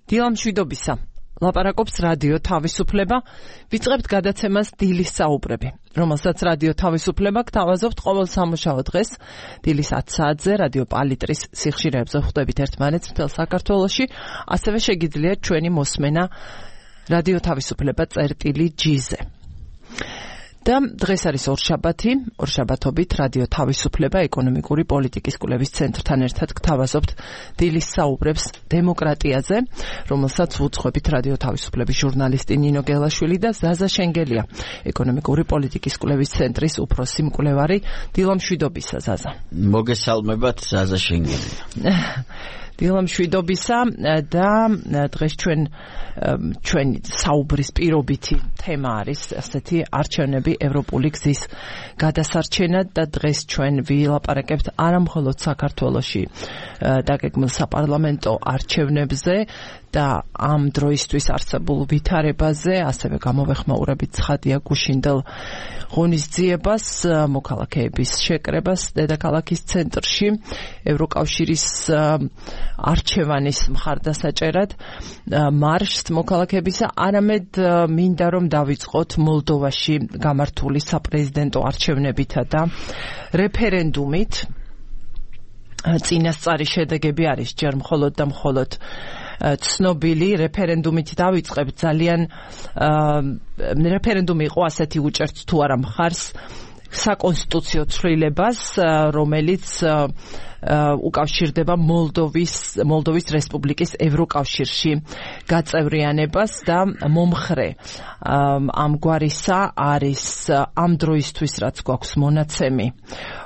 დილამშვიდობისა. ლაპარაკობს რადიო თავისუფლება. ვიწყებთ გადაცემას დილის საუბრები, რომელსაც რადიო თავისუფლება გთავაზობთ ყოველ სამუშაო დღეს დილის 10 საათზე რადიო პალიტრის სიხშირეებზე ხვდებით ერთმანეთს მთელ საქართველოში. ასევე შეგიძლიათ ჩვენი მოსმენა რადიო თავისუფლება წერტილი.gz-ზე. და დღეს არის ორშაბათობით რადიო თავისუფლება ეკონომიკური პოლიტიკის კვლევის ცენტრთან ერთად გთავაზობთ დილის საუბრებს დემოკრატიაზე, რომელსაც უძღვებით რადიო თავისუფლების ჟურნალისტი ნინო გელაშვილი და ზაზა შენგელია, ეკონომიკური პოლიტიკის კვლევის ცენტრის უფროსი მკვლევარი. დილამშვიდობისა, ზაზა. მოგესალმებათ, ზაზა შენგელია. დილამშვიდობისა და დღეს ჩვენი საუბრის პირობითი თემა არის ასეთი არჩევნები ევროპული გზის გადასარჩენად და დღეს ჩვენ ვილაპარაკებთ არა მხოლოდ საქართველოში დაგეგმილ საპარლამენტო არჩევნებზე და ამ დროისთვის არსებულ ვითარებაზე, ასევე გამოვეხმაურებით ცხადია გუშინდელ ღონისძიებას, მოქალაქეების შეკრებას დედაქალაქის ცენტრში, ევროკავშირის არჩევანის მხარდასაჭერად მარშს მოქალაქეებისა, არამედ მინდა რომ დავიწყოთ მოლდოვაში გამართული საპრეზიდენტო არჩევნებითა და რეფერენდუმით. წინასწარი შედეგები არის ჯერ მხოლოდ და მხოლოდ ცნობილი. რეფერენდუმით დავიწყებ. ძალიან რეფერენდუმი იყო ასეთი უჭერთ თუ არა მხარს საკონსტიტუციო ცვლილებას, რომელიც უკავშირდება მოლდოვის რესპუბლიკის ევროკავშირში გაწევრიანებას და მომხრე ამგვარისა არის ამ დროისთვის, რაც გვაქვს მონაცემი,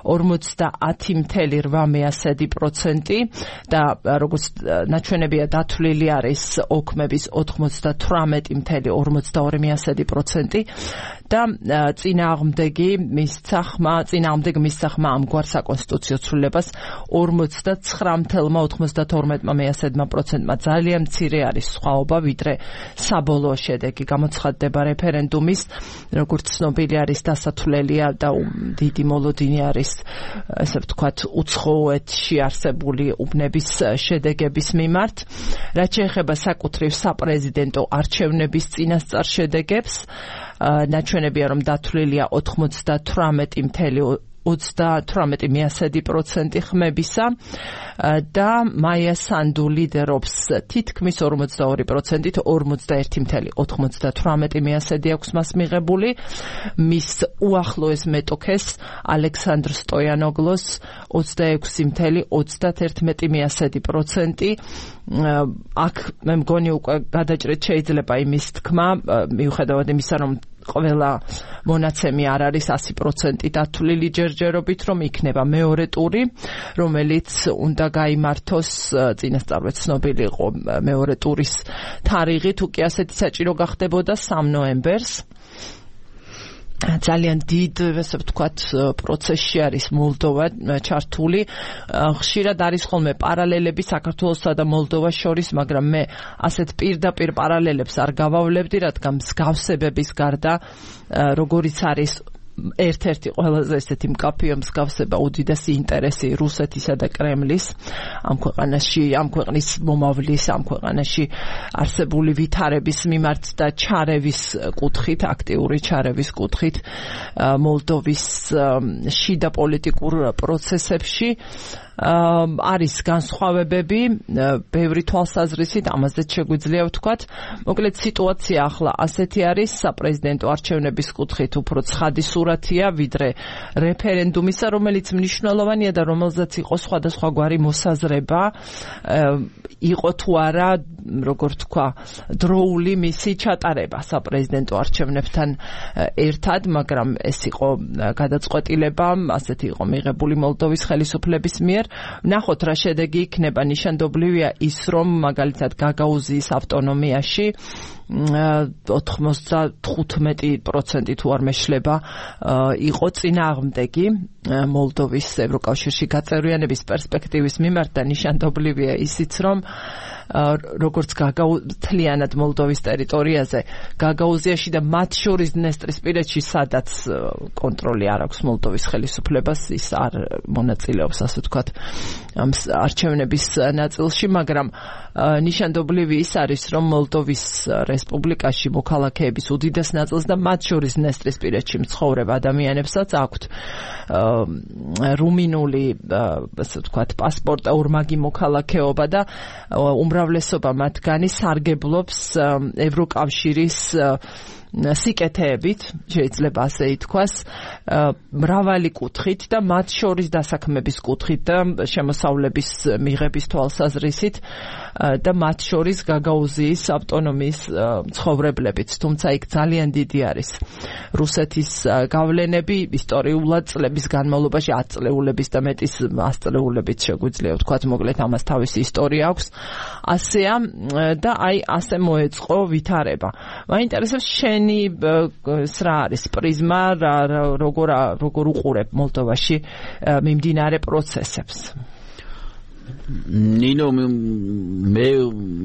50.8% და როგორც ნაჩვენებია დათვლილი არის ოქმების 98.42% და წინააღმდეგ მისცახმა ამგვარ საკონსტიტუციო ცვლილებას 49.92%-მა ძალიან მცირე არის სხვაობა, ვიდრე საბოლოო შედეგი გამოცხადდება რეფერენდუმის. როგორც ცნობილი არის, დასათვლელია და დიდი მოლოდინი არის, ესე ვთქვათ, უცხოეთში არსებული უბნების შედეგების მიმართ. რაც შეეხება საკუთრივ საპრეზიდენტო არჩევნების წინასწარ შედეგებს, ნაჩვენებია, რომ დათვლილია 98.30% ხმებისა და მაია სანდუ ლიდერობს თითქმის 42%-ით, 41.98% აქვს მას მიღებული. მის უახლოეს მეტოქეს ალექსანდრ სტოიანოგლოს 26.31%. აქ მე მგონი უკვე გადაჭრით შეიძლება იმის თქმა, მიუხედავად იმისა, რომ ყველა მონაცემი არ არის 100% დათვლილი ჯერჯერობით, რომ იქნება მეორე ტური, რომელიც უნდა გაიმართოს. წინასწარვე ცნობილი იყო მეორე ტურის თარიღი, თუ კი ასეთი საჭირო გახდებოდა 3 ნოემბერს. ძალიან დიდ, ესე ვთქვათ, პროცესში არის მოლდოვა ჩართული. ხშირად არის ხოლმე პარალელები საქართველოსა და მოლდოვას შორის, მაგრამ მე ასეთ პირდაპირ პარალელებს არ გავავლებდი, რადგან მსგავსებების გარდა, როგორიც არის ერთ-ერთი ყველაზე ესეთი მკაფიო მსგავსება, უდიდესი ინტერესი რუსეთისა და კრემლის ამ ქვეყანაში, ამ ქვეყნის მომავლის, ამ ქვეყანაში არსებული ვითარების მიმართ და ჩარევის კუთხით, აქტიური ჩარევის კუთხით მოლდოვის შიდა პოლიტიკურ პროცესებში არის განსხვავებები, ბევრი თვალსაზრისით, ამაზე შეგვიძლია ვთქვათ. მოკლედ სიტუაცია ახლა ასეთი არის, საპრეზიდენტო არჩევნების კუთხით უფრო ცხადი სურათია, ვიდრე რეფერენდუმისა, რომელიც მნიშვნელოვანია და რომელზეც იყო სხვადასხვაგვარი მოსაზრება, იყო თუ არა, როგორ თქვა, დროული მისი ჩატარება საპრეზიდენტო არჩევნებთან ერთად, მაგრამ ეს იყო გადაწყვეტილება, ასეთი იყო მიღებული მოლდოვის ხელისუფლების მიერ. ვნახოთ რა შედეგი იქნება. ნიშანდობლივია ის, რომ მაგალითად გაგაუზიის ავტონომიაში 95% თუ არ მეშლება იყო წინააღმდეგი მოლდოვის ევროკავშირში გაწევრიანების პერსპექტივის მიმართ და ნიშანდობლივია ისიც რომ როგორც თლიანად მოლდოვის ტერიტორიაზე გაგაუზიაში და მათ შორის დნესტრისპირეთში სადაც კონტროლი არ აქვს მოლდოვის ხელისუფლებას ის არ მონაწილეობს ასე ვთქვათ ამ არჩევნების ნაწილში მაგრამ ნიშანდობლივი ის არის რომ მოლდოვის რესპუბლიკაში მოქალაქეების უდიდეს ნაწილს და მათ შორის დნესტრისპირეთში მცხოვრებ ადამიანებსაც აქვთ რუმინული ასე ვთქვათ პასპორტა ორმაგი მოქალაქეობა და უმრავლესობა მათგანი სარგებლობს ევროკავშირის სიკეთეებით, შეიძლება ასე ითქვას, მრავალი კუთხით და მათ შორის დასაქმების კუთხით და შემოსავლების მიღების თვალსაზრისით და მათ შორის გაგაუზიის ავტონომიის მცხოვრებლებით, თუმცა იქ ძალიან დიდი არის რუსეთის გავლენები ისტორიულად წლების განმავლობაში 10 წლეულების და მეტის 100 წლეულებით შეგვიძლია ვთქვათ, მოკლედ ამას თავისი ისტორია აქვს. ასეა და აი ასე მოეწყო ვითარება. მაინტერესებს რა არის პრიზმა როგორ უყურებ მოლდოვაში მიმდინარე პროცესებს ნინო მე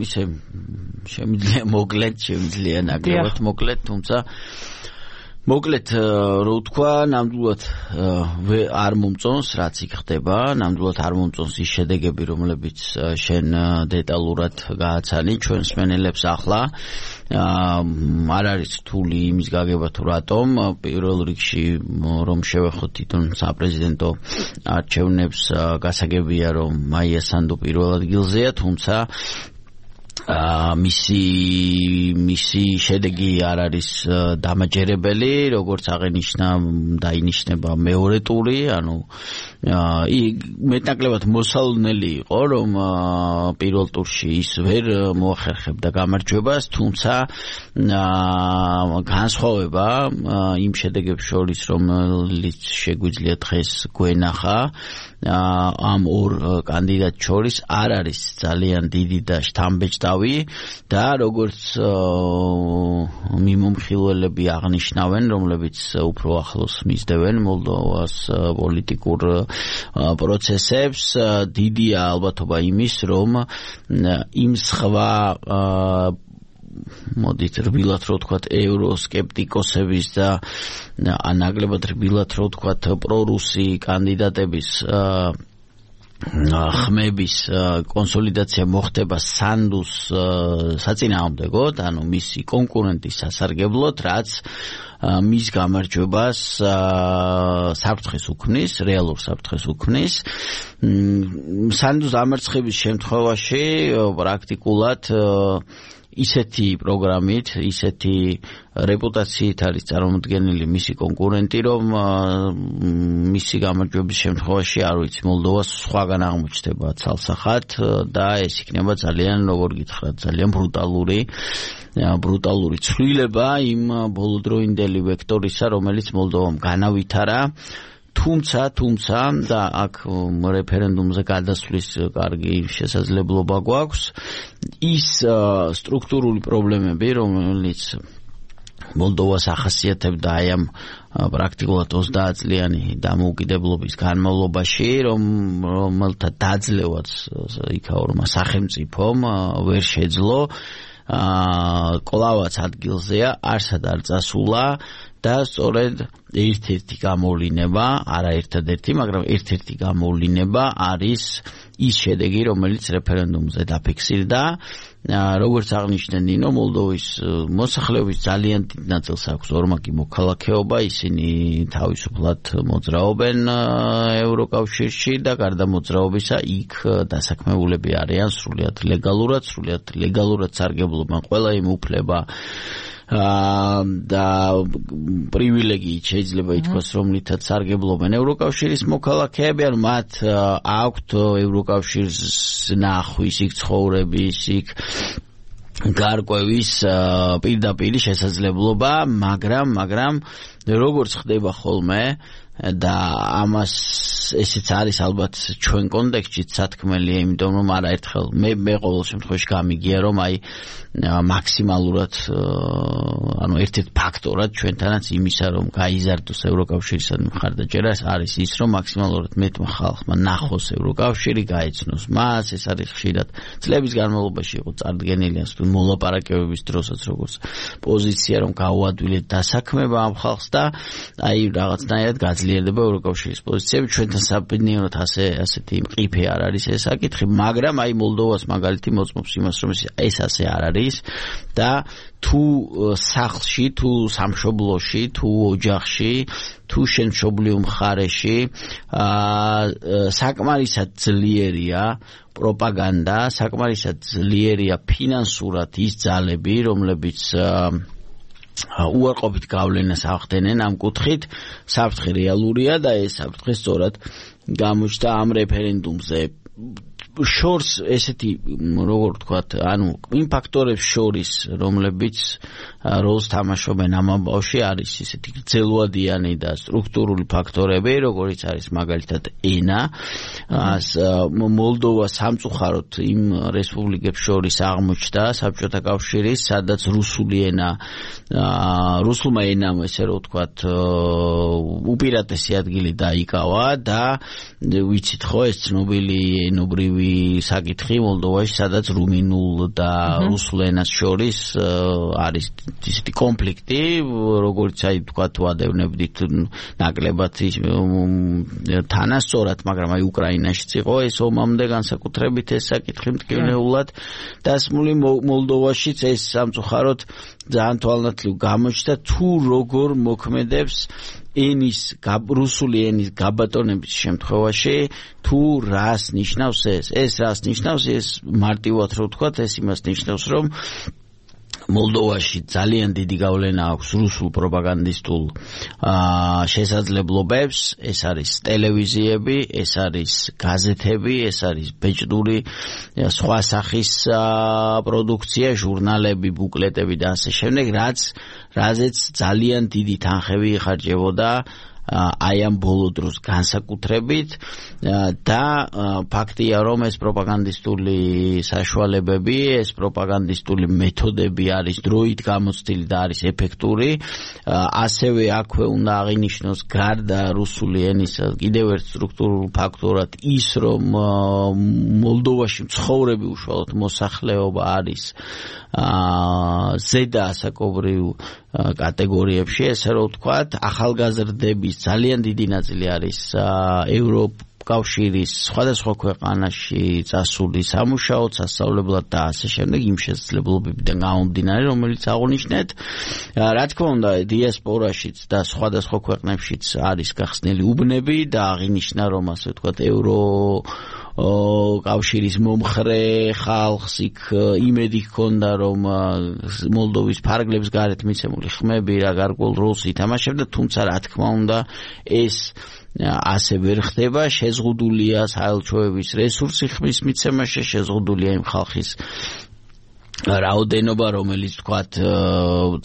ისე შემიძლია მოკლედ ნაკლებად მოკლედ თუმცა მოკლედ რო ვთქვა ნამდვილად არ მომწონს რაც იქ ხდება ნამდვილად არ მომწონს ის შედეგები რომლებიც შენ დეტალურად გააცანი ჩვენს მენელებს ახლა არ არის რთული იმის გაგება თუ რატომ პირველ რიგში რომ შევეხოთ თვითონ საპრეზიდენტო არჩევნებს გასაგებია რომ მაია სანდუ პირველ ადგილზეა თუმცა მისი შედეგი არ არის დამაჯერებელი როგორც დაინიშნება მეორე ტური ანუ მეტნაკლებად მოსალოდნელი იყო რომ პირველ ტურში ის ვერ მოახერხებდა გამარჯვებას თუმცა განსხვავება იმ შედეგებს შორის რომელიც შეგვიძლია დღეს გვენახა ამ ორ კანდიდატ შორის არ არის ძალიან დიდი და შთამბეჭდავი და როგორც მიმომხილველები აღნიშნავენ რომლებიც უფრო ახლოს მისდევენ მოლდოვას პოლიტიკურ პროცესებს დიდია ალბათობა იმის რომ იმ სხვა მოდით რბილად რო ვთქვათ ევროსკეპტიკოსების და ნაკლებად რბილად რო ვთქვათ პრორუსი კანდიდატების ხმების კონსოლიდაცია მოხდება სანდუს საწინააღმდეგოდ, ანუ მისი კონკურენტის სასარგებლოდ, რაც მის გამარჯვებას საფრთხეს უქმნის, რეალურ საფრთხეს უქმნის. სანდუს დამარცხების შემთხვევაში პრაქტიკულად ისეთი პროგრამით, ისეთი რეპუტაციით არის წარმოდგენილი მისი კონკურენტი, რომ მისი გამარჯვების შემთხვევაში არ ვიცი, მოლდოვას სხვაგან აღმოჩნდება ცალსახად და ეს იქნება ძალიან, როგორ გითხრათ, ძალიან ბრუტალური ცვლილება იმ ბოლოდროინდელი ვექტორისა, რომელიც მოლდოვამ განავითარა. თუმცა და აქ რეფერენდუმზე გადასვლის კარგი შესაძლებლობა გვაქვს ის სტრუქტურული პრობლემები რომელიც მოლდოვას ახასიათებდა აი ამ პრაქტიკულად 30 წლიანი დამოუკიდებლობის განმავლობაში რომელთა დაძლევაც იქაურმა სახელმწიფომ ვერ შეძლო კლავაც ადგილზეა არსად არ წასულა და სწორედ ერთ-ერთი გამოვლინება, არა ერთადერთი, მაგრამ ერთ-ერთი გამოვლინება არის ის შედეგი, რომელიც რეფერენდუმზე დაფიქსირდა. როგორც აღნიშნე ნინო, მოლდოვის მოსახლეობის ძალიან დიდ ნაწილს აქვს ორმაგი მოქალაქეობა, ისინი თავისუფლად მოძრაობენ ევროკავშირში და გარდა მოძრაობისა იქ დასაქმებულები არიან სრულიად ლეგალურად სარგებლობენ ყველა იმ უფლება და პრივილეგიით შეიძლება ითქვას, რომლითაც სარგებლობენ ევროკავშირის მოქალაქეები, ანუ მათ აქვთ ევროკავშირის ნახვის, იქ ცხოვრების, იქ გარკვევის პირდაპირი შესაძლებლობა, მაგრამ როგორც ხდება ხოლმე და ამას ესეც არის ალბათ ჩვენ კონტექსტშიც სათქმელია, იმიტომ რომ არაერთხელ მე ყოველ შემთხვევაში გამიგია რომ აი მაქსიმალურად ანუ ერთ-ერთ ფაქტორად ჩვენთანაც იმისა რომ გაიზარდოს ევროკავშირის მხარდაჭერა არის ის რომ მაქსიმალურად მეტმა ხალხმა ნახოს ევროკავშირი, გაეცნოს მას, ეს არის ხშირად წლების განმავლობაში იყო წარდგენილი ასე თუ მოლაპარაკებების დროსაც როგორც პოზიცია რომ გაუადვილეთ დასაქმება ამ ხალხს და აი რაღაცნაირად გაძლიერდება ევროკავშირის პოზიციები. ჩვენთან საბედნიეროდ ასეთი მყიფე არ არის ეს საკითხი, მაგრამ აი მოლდოვას მაგალითი მოწმობს იმას რომ ეს ასე არ არის და თუ სახლში, თუ სამშობლოში, თუ ოჯახში, თუ შენ მშობლიურ მხარეში საკმარისად ძლიერია პროპაგანდა, საკმარისად ძლიერია ფინანსურად ის ძალები, რომლებიც უარყოფით გავლენას ახდენენ ამ კუთხით, საფრთხე რეალურია და ეს საფრთხე სწორად გამოჩნდა ამ რეფერენდუმზე. შორს ესეთი როგორ ვთქვათ, ანუ იმ ფაქტორებს შორის, რომლებიც როლს თამაშობენ ამ ამბავში, არის ესეთი გრძელვადიანი და სტრუქტურული ფაქტორები, როგორიც არის მაგალითად ენა. მოლდოვა სამწუხაროდ იმ რესპუბლიკებს შორის აღმოჩნდა საბჭოთა კავშირის, სადაც რუსულმა ენამ ესე რომ ვთქვათ, უპირატესი ადგილი დაიკავა და ვიცით ხო ეს ცნობილი ენობრივი საკითხი მოლდოვაში, სადაც რუმინულ და რუსულ ენას შორის არის ისეთი კონფლიქტი, როგორც აი თქვა თუ ადევნებდით ნაკლებად თანასწორად, მაგრამ აი უკრაინაშიც იყო ეს ომამდე განსაკუთრებით ეს საკითხი მტკივნეულად დასმული. მოლდოვაშიც ეს სამწუხაროდ ძალიან თვალნათლივ გამოჩნდა თუ როგორ მოქმედებს რუსული ენის გაბატონების შემთხვევაში, თუ რას ნიშნავს ეს რას ნიშნავს, ეს მარტივად რო ვთქვათ, ეს იმას ნიშნავს, რომ მოლდოვაში ძალიან დიდი გავლენა აქვს რუსულ პროპაგანდისტულ შესაძლებლობებს, ეს არის ტელევიზიები, ეს არის გაზეთები, ეს არის ბეჭდური სხვა სახის პროდუქცია, ჟურნალები, ბუკლეტები და ასე შემდეგ, რაზეც ძალიან დიდი თანხები იხარჯებოდა აი ამ ბოლო დროს განსაკუთრებით და ფაქტია რომ ეს პროპაგანდისტული საშუალებები, ეს პროპაგანდისტული მეთოდები არის დროით გამოცდილი და არის ეფექტური. ასევე აქვე უნდა აღინიშნოს გარდა რუსული ენისა კიდევ ერთ სტრუქტურულ ფაქტორად ის რომ მოლდოვაში მცხოვრები უშუალოდ მოსახლეობა არის ზედა ასაკობრივ კატეგორიებში, ესე რომ ვთქვათ, ახალგაზრდების ძალიან დიდი ნაწილი არის კავშირის სხვადასხვა ქვეყანაში წასული სამუშაოდ, სასწავლებლად და ასე შემდეგ იმ შესაძლებლობებიდან გამომდინარე, რომელიც აღნიშნეთ. რა თქმა უნდა, დიასპორაშიც და სხვადასხვა ქვეყნებშიც არის გახსნილი უბნები და აღინიშნა რომ ასე ვთქვათ კავშირის მომხრე ხალხს იქ იმედი ჰქონდა რომ მოლდოვის ფარგლებს გარეთ მიცემული ხმები რა გარკვეულ როლს ითამაშებდა, თუმცა რა თქმა უნდა ეს ასე ვერ ხდება, შეზღუდულია საელჩოების რესურსი ხმის მიცემაში, შეზღუდულია იმ ხალხის რაოდენობა, რომელიც თქვათ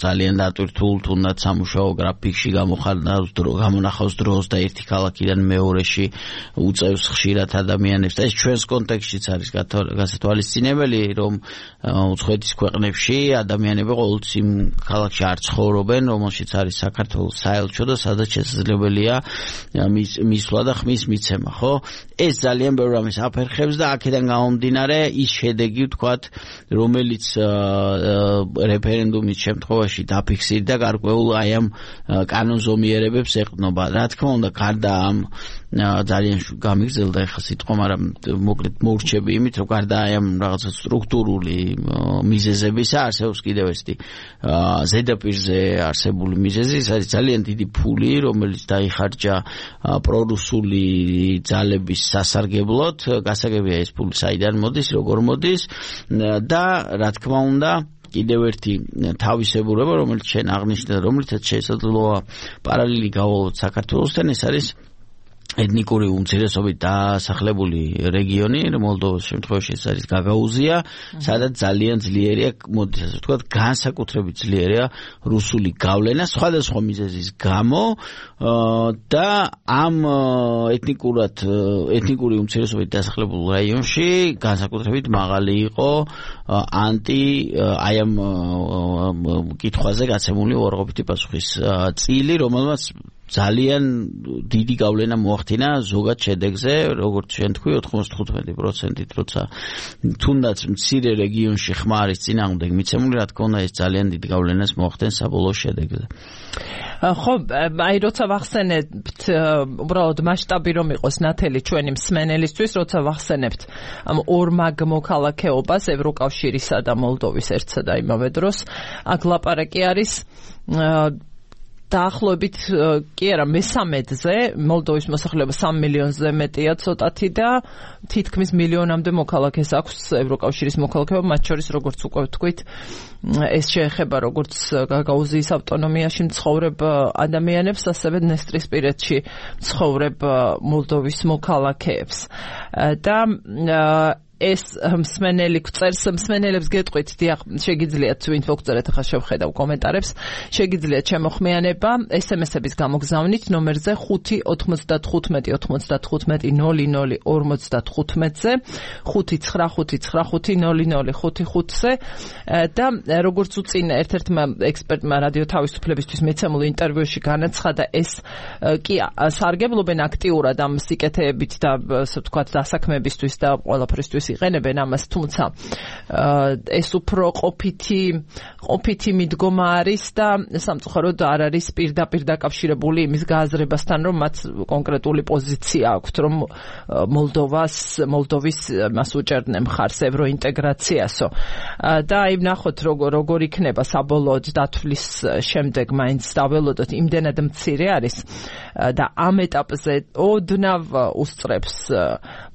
ძალიან დატვირთულ თუნდაც სამუშაო გრაფიკში გამონახავს დროს და ერთი ქალაქიდან მეორეში უწევს ხშირად ადამიანებს და ეს ჩვენს კონტექსტშიც არის გასათვალისწინებელი, რომ უცხოეთის ქვეყნებში ადამიანები ყოველთვის იმ ქალაქში არ ცხოვრობენ, რომელშიც არის საქართველოს საელჩო და სადაც შესაძლებელია მისვლა და ხმის მიცემა, ხო? ეს ძალიან ბევრ რამეს აფერხებს და აქედან გამომდინარე ის შედეგი ვთქვათ, რომელიც რეფერენდუმის შემთხვევაში დაფიქსირდა გარკვეულ აი ამ კანონზომიერებებს ეყრდნობა. რა თქმა უნდა, გარდა ამ ძალიან გამიგზელდა ახლა სიტყვა, მაგრამ მოკლედ მოურჩები იმით, რომ გარდა აი ამ რაღაცა სტრუქტურული მიზეზებისა არსებობს კიდევ ესეთი ზედაპირზე არსებული მიზეზი, ეს არის ძალიან დიდი ფული, რომელიც დაიხარჯა პრორუსული ძალების სასარგებლოდ. გასაგებია ეს ფული საიდან მოდის, როგორ მოდის და რა თქმა უნდა კიდევ ერთი თავისებურება, რომელიც შენ აღნიშნე, რომელიცაც შესაძლოა პარალელი გავალოთ საქართველოსთან, ეს არის ეთნიკური უმცირესობით დასახლებული რეგიონი მოლდოვას შემთხვევაში ეს არის გაგაუზია, სადაც ძალიან ძლიერია, მოდი ასე ვთქვათ, განსაკუთრებით ძლიერია რუსული გავლენა სხვადასხვა მიზეზის გამო და ამ ეთნიკური უმცირესობით დასახლებულ რაიონში განსაკუთრებით მაღალი იყო აი ამ კითხვაზე გაცემული უარყოფითი პასუხის წილი, რომელმაც ძალიან დიდი გავლენა მოახდინა ზოგად შედეგზე, როგორც შენ თქვი 95%-ით, როცა თუნდაც მცირე რეგიონში ხმა არის წინააღმდეგ მიცემული, რა თქმა უნდა ეს ძალიან დიდი გავლენას მოახდენს საბოლოო შედეგზე. ხო, აი როცა ვახსენებთ უბრალოდ მასშტაბი რომ იყოს ნათელი ჩვენი მსმენელისთვის, როცა ვახსენებთ ამ ორმაგ მოქალაქეობას ევროკავშირისა და მოლდოვის ერთსა და იმავე დროს, აქ ლაპარაკი არის დაახლოებით კი არა მე-13-ზე მოლდოვის მოსახლეობა 3 მილიონზე მეტია ცოტათი და თითქმის მილიონამდე მოქალაქეს აქვს ევროკავშირის მოქალაქეობა, მათ შორის როგორც უკვე ვთქვით, ეს შეეხება როგორც გაგაუზიის ავტონომიაში მცხოვრებ ადამიანებს, ასევე დნესტრისპირეთში მცხოვრებ მოლდოვის მოქალაქეებს. და ეს მსმენელებს გეტყვით, დიახ, შეგიძლიათ ვინც მოგწერეთ, ახლა შევხედავ კომენტარებს, შეგიძლიათ შემოხმიანება SMS-ების გამოგზავნით ნომერზე 595-95-00-55-00-55-ზე 595-95-00-55-ზე და როგორც უწინ ერთ-ერთმა ექსპერტმა რადიო თავისუფლებისთვის მიცემულ ინტერვიუში განაცხადა, ეს კი სარგებლობენ აქტიურად ამ სიკეთეებით და ასე ვთქვათ დასაქმებისთვის და ყველაფრისთვის იყენებენ ამას, თუმცა ეს უფრო ყოფითი მიდგომა არის და სამწუხაროდ არ არის პირდაპირ დაკავშირებული იმის გააზრებასთან, რომ მათ კონკრეტული პოზიცია აქვთ, რომ მოლდოვის მას უჭერდნენ მხარს ევროინტეგრაციასო. და აი ვნახოთ როგორ იქნება საბოლოოდ დათვლის შემდეგ მაინც დაველოდოთ, იმდენად მცირე არის და ამ ეტაპზე ოდნავ უსწრებს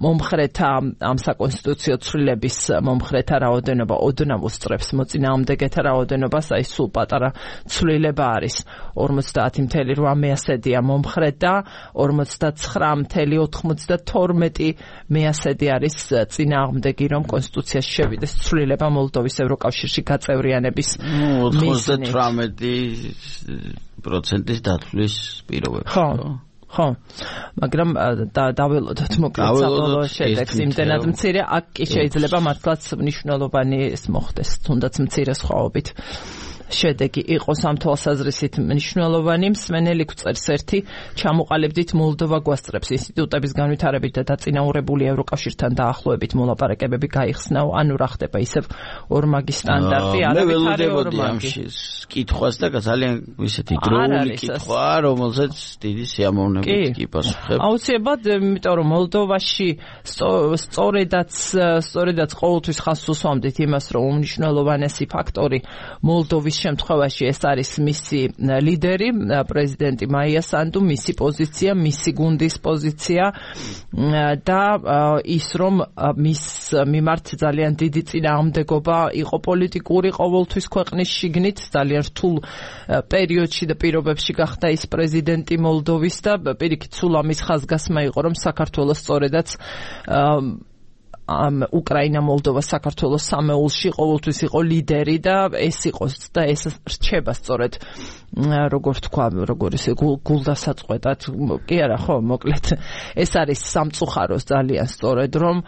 მომხრეთა ამ საკონსტიტუციო ცვლილების მომხრეთა რაოდენობა, ოდნავ უსწრებს მოწინააღმდეგეთა რაოდენობას, აი სულ პატარა ცვლილება არის 50.8% მომხრე და 49.92% არის წინააღმდეგი, რომ კონსტიტუციაში შევიდეს ცვლილება მოლდოვის ევროკავშირში გაწევრიანების მიზნით. 98% დათვლის პირობებს. ხო, მაგრამ დაველოდოთ მოკლედ საბოლოო შედეგს იმდენად მცირე, აქ კი შეიძლება მართლაც მნიშვნელოვანი ეს მოხდეს, თუნდაც მცირე სხვაობით. შედეგი იყოს ამ თვალსაზრისით მნიშვნელოვანი. მსმენელი გვწერს ერთი, ჩამოყალიბდით მოლდოვა გვასწრებს ინსტიტუტების განვითარებით და დაწინაურებული ევროკავშირთან დაახლოებით მოლაპარაკებები გაიხსნაო, ანუ რა ხდება ისევ ორმაგი სტანდარტი, არავითარი ორმაგი. კითხვას და ძალიან ისეთი დროული კითხვა, რომელზეც დიდი სიამოვნებით კი პასუხებ. აუცილებლად, იმიტომ რომ მოლდოვაში სწორედაც ყოველთვის ხაზს უსვამდით იმას, რომ უმნიშვნელოვანესი ფაქტორი მოლდოვის შემთხვევაში ეს არის მისი ლიდერი, პრეზიდენტი მაია სანდუ, მისი პოზიცია, მისი გუნდის პოზიცია და ის რომ მის მიმართ ძალიან დიდი წინააღმდეგობა იყო პოლიტიკური ყოველთვის ქვეყნის შიგნით, ძალიან რთულ პერიოდში და პირობებში გახდა ის პრეზიდენტი მოლდოვის და პირიქით სულ ამის ხაზგასმა იყო, რომ საქართველოს სწორედაც უკრაინა, მოლდოვა, საქართველოს სამეულში ყოველთვის იყო ლიდერი და ეს იყოს და ეს რჩება სწორედ როგორ თქვა, როგორ ისე გულდასაწყვეტად, კი არა, ხო, მოკლედ ეს არის სამწუხაროს ძალიან სწორედ, რომ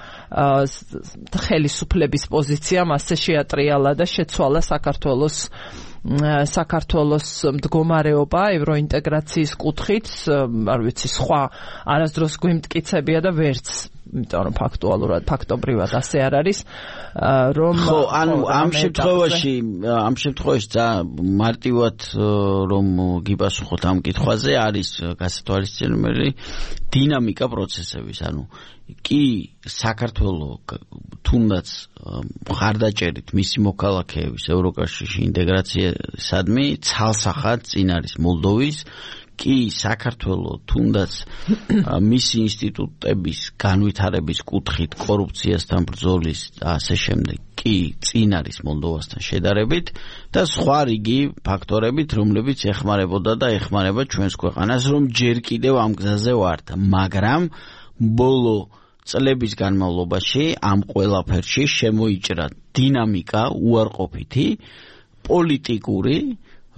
ხელისუფლების პოზიციამ ასე შეატრიალა და შეცვალა საქართველოს მდგომარეობა ევროინტეგრაციის კუთხით, არ ვიცი, სხვა არასდროს გვიმტკიცებია და ვერც, იმიტომ რომ ფაქტობრივად ასე არ არის, რომ ხო, ანუ ამ შემთხვევაში მარტივად რომ გიპასუხოთ ამ კითხვაზე არის გასათვალისწინებელი დინამიკა პროცესების, ანუ კი საქართველოს თუნდაც მხარდაჭერით მისი მოქალაქეების ევროკავშირში ინტეგრაციისადმი ცალსახად წინ არის მოლდოვის, კი საქართველოს თუნდაც მისი ინსტიტუტების განვითარების კუთხით, კორუფციასთან ბრძოლის და ასე შემდეგ კი წინ არის მოლდოვასთან შედარებით და სხვა რიგი ფაქტორებით, რომლებიც ეხმარებოდა და ეხმარება ჩვენს ქვეყანას, რომ ჯერ კიდევ ამ გზაზე ვართ, მაგრამ ბოლო წლების განმავლობაში ამ ყველაფერში შემოიჭრა დინამიკა უარყოფითი პოლიტიკური,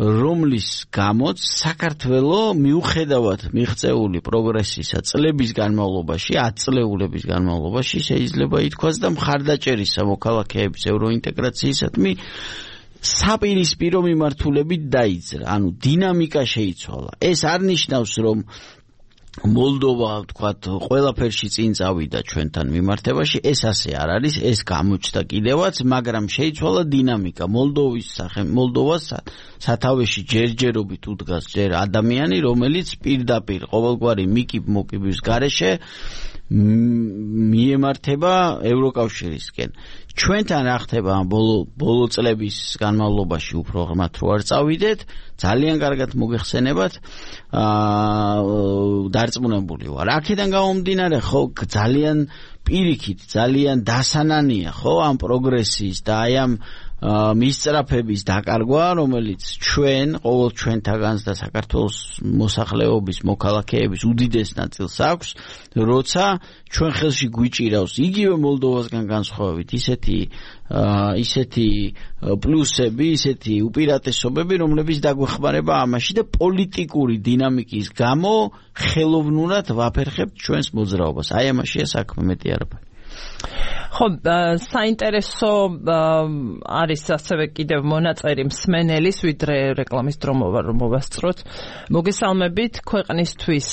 რომლის გამოც საქართველოს მიუხედავად მიღწეული პროგრესისა წლების განმავლობაში, 10 წლეულების განმავლობაში შეიძლება ითქვას და მხარდაჭერის მოქალაქეების ევროინტეგრაციისადმი საპირისპირო მიმართულებით დაიძრა. ანუ დინამიკა შეიცვალა. ეს არ ნიშნავს, რომ მოლდოვა, ვთქვათ, ყველაფერში წინ წავიდა ჩვენთან მიმართებაში, ეს ასე არ არის, ეს გამოჩნდა კიდევაც, მაგრამ შეიცვალა დინამიკა. მოლდოვას სათავეში ჯერჯერობით უდგას ჯერ ადამიანი, რომელიც პირდაპირ ყოველგვარი მიკიბ-მოკიბის გარეშე მიემართება ევროკავშირისკენ. ჩვენთან რა ხდება ბოლო წლების განმავლობაში უფრო ღრმად რო არ წავიდეთ, ძალიან კარგად მოგეხსენებათ, დარწმუნებული ვარ. აქედან გამომდინარე, ხო, ძალიან პირიქით, ძალიან დასანანია, ხო, ამ პროგრესის და აი ამ მისწრაფების დაკარგვა, რომელიც ყოველ ჩვენთაგანს და საქართველოს მოსახლეობის მოქალაქეების უდიდეს ნაწილს აქვს, როცა ჩვენ ხელში გვიჭირავს იგივე მოლდოვასგან განსხვავებით ისეთი პლუსები, ისეთი უპირატესობები, რომლებიც დაგვეხმარება ამაში და პოლიტიკური დინამიკის გამო ხელოვნურად ვაფერხებთ ჩვენს მოძრაობას. აი ამაშია საქმე, მეტი არაფერი. ხო, საინტერესო არის ასევე კიდევ მონაწერი მსმენელის, ვიდრე რეკლამის დრო მოვასწროთ. მოგესალმებით, ქვეყნისთვის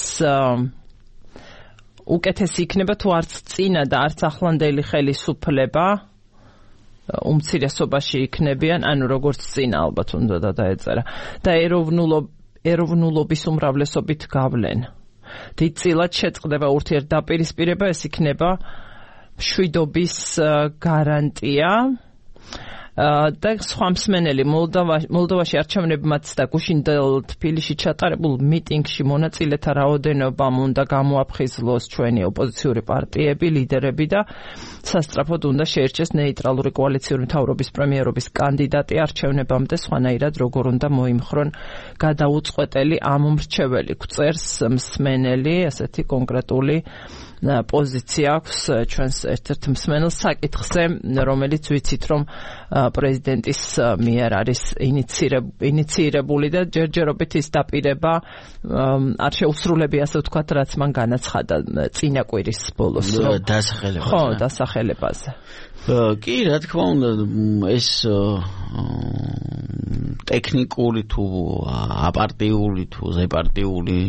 უკეთესი იქნება თუ არც წინა და არც ახლანდელი ხელისუფლება უმცირესობაში იქნებიან, ანუ როგორც წინა ალბათ უნდა დაეწერა და ეროვნულობის უმრავლესობით გავლენ. დიდწილად შეწყდება ურთიერთდაპირისპირება, ეს იქნება მშვიდობის გარანტია და სხვა მსმენელი მოლდოვაში არჩევნებმაც და გუშინდელ თბილისში ჩატარებულ მიტინგში მონაწილეთა რაოდენობამ უნდა გამოაფხიზლოს ჩვენი ოპოზიციური პარტიები, ლიდერები და სასწრაფოდ უნდა შეერჩეს ნეიტრალური კოალიციური მთავრობის პრემიერობის კანდიდატი არჩევნებამდე, სხვანაირად როგორ უნდა მოიმხრონ გადაუწყვეტელი ამ მრჩეველი. გვწერს მსმენელი, ასეთი კონკრეტული პოზიცია აქვს ჩვენს ერთ-ერთ მსმენელს საკითხზე, რომელიც ვიცით, რომ პრეზიდენტის მიერ არის ინიცირებული და ჯერჯერობით ის დაპირება არ შეუსრულებია, ასე ვთქვათ, რაც მან განაცხადა წინა კვირის ბოლოს. დასახელებაზე. კი, რა თქმა უნდა, ეს ტექნიკური თუ აპარტიული თუ ზეპარტიული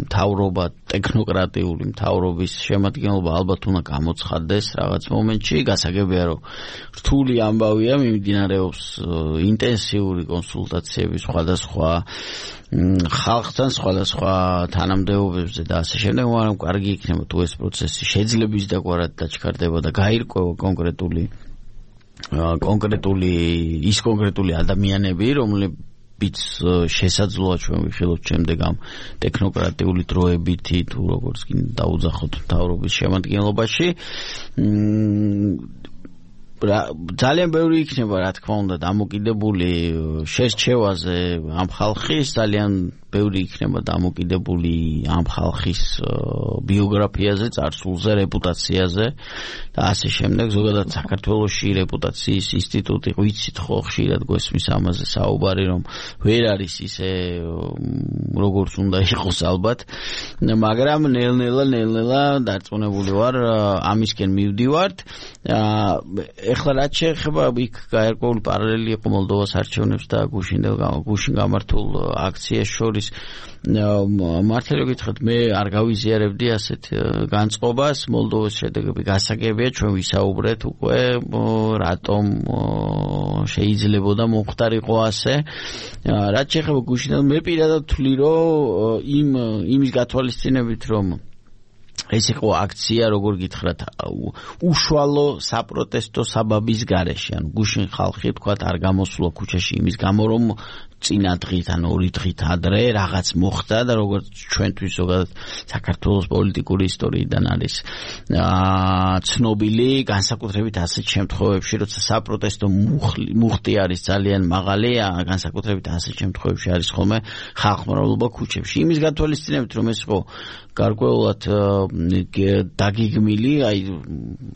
მთავრობა, ტექნოკრატიული მთავრობის შემადგენლობა ალბათ უნდა გამოცხადდეს რაღაც მომენტში. გასაგებია, რომ რთული ამბავია, მიმდინარეობს ინტენსიური კონსულტაციები სხვადასხვა ხალხთან, სხვადასხვა თანამდებობებზე და ასე შემდეგ, მაგრამ კარგი იქნება თუ ეს პროცესი შეძლების დაგვარად დაჩქარდება და გაირკვევა კონკრეტული ადამიანები, რომლებიც შესაძლოა ჩვენ ვიხილოთ შემდეგ ამ ტექნოკრატიული დროებითი თუ როგორც კი დაუძახოთ მთავრობის შემადგენლობაში. ძალიან ბევრი იქნება, რა თქმა უნდა, დამოკიდებული შერჩევაზე ამ ხალხის, ძალიან ბევრი იქნება დამოკიდებული ამ ხალხის ბიოგრაფიაზე, წარსულზე, რეპუტაციაზე და ასე შემდეგ. ზოგადად საქართველოში რეპუტაციის ინსტიტუტი, ვიცით ხო, ხშირად გვესმის ამაზე საუბარი, რომ ვერ არის ისე როგორც უნდა იყოს ალბათ, მაგრამ ნელ-ნელა დარწმუნებული ვარ, ამისკენ მივდივართ. ეხლა რაც შეეხება იქ გაერკვეული პარალელი იყო მოლდოვას არჩევნებს და გუშინ გამართულ აქციას შორის, მართალი გითხრათ, მე არ გავიზიარებდი ასეთ განწყობას. მოლდოვას შედეგები გასაგებია, ჩვენ ვისაუბრეთ უკვე რატომ შეიძლებოდა მომხდარიყო ასე. რაც შეეხება გუშინდელ, მე პირადად ვთვლი, რომ იმის გათვალისწინებით, რომ ეს იყო აქცია, როგორ გითხრათ, უშუალო საპროტესტო საბაბის გარეშე. ანუ გუშინ ხალხი, თქვათ, არ გამოსულა ქუჩაში იმის გამო, რომ წინა დღით ან 2 დღით ადრე რაღაც მოხდა და როგორც ჩვენთვის ზოგადად საქართველოს პოლიტიკური ისტორიიდან არის ცნობილი, განსაკუთრებით ასეთ შემთხვევებში, როცა საპროტესტო მუხტი არის ძალიან მაღალი, განსაკუთრებით ასეთ შემთხვევებში არის ხოლმე ხალხმრავლობა ქუჩებში. იმის გათვალისწინებით, რომ ეს იყო გარკვეულად დაგეგმილი, აი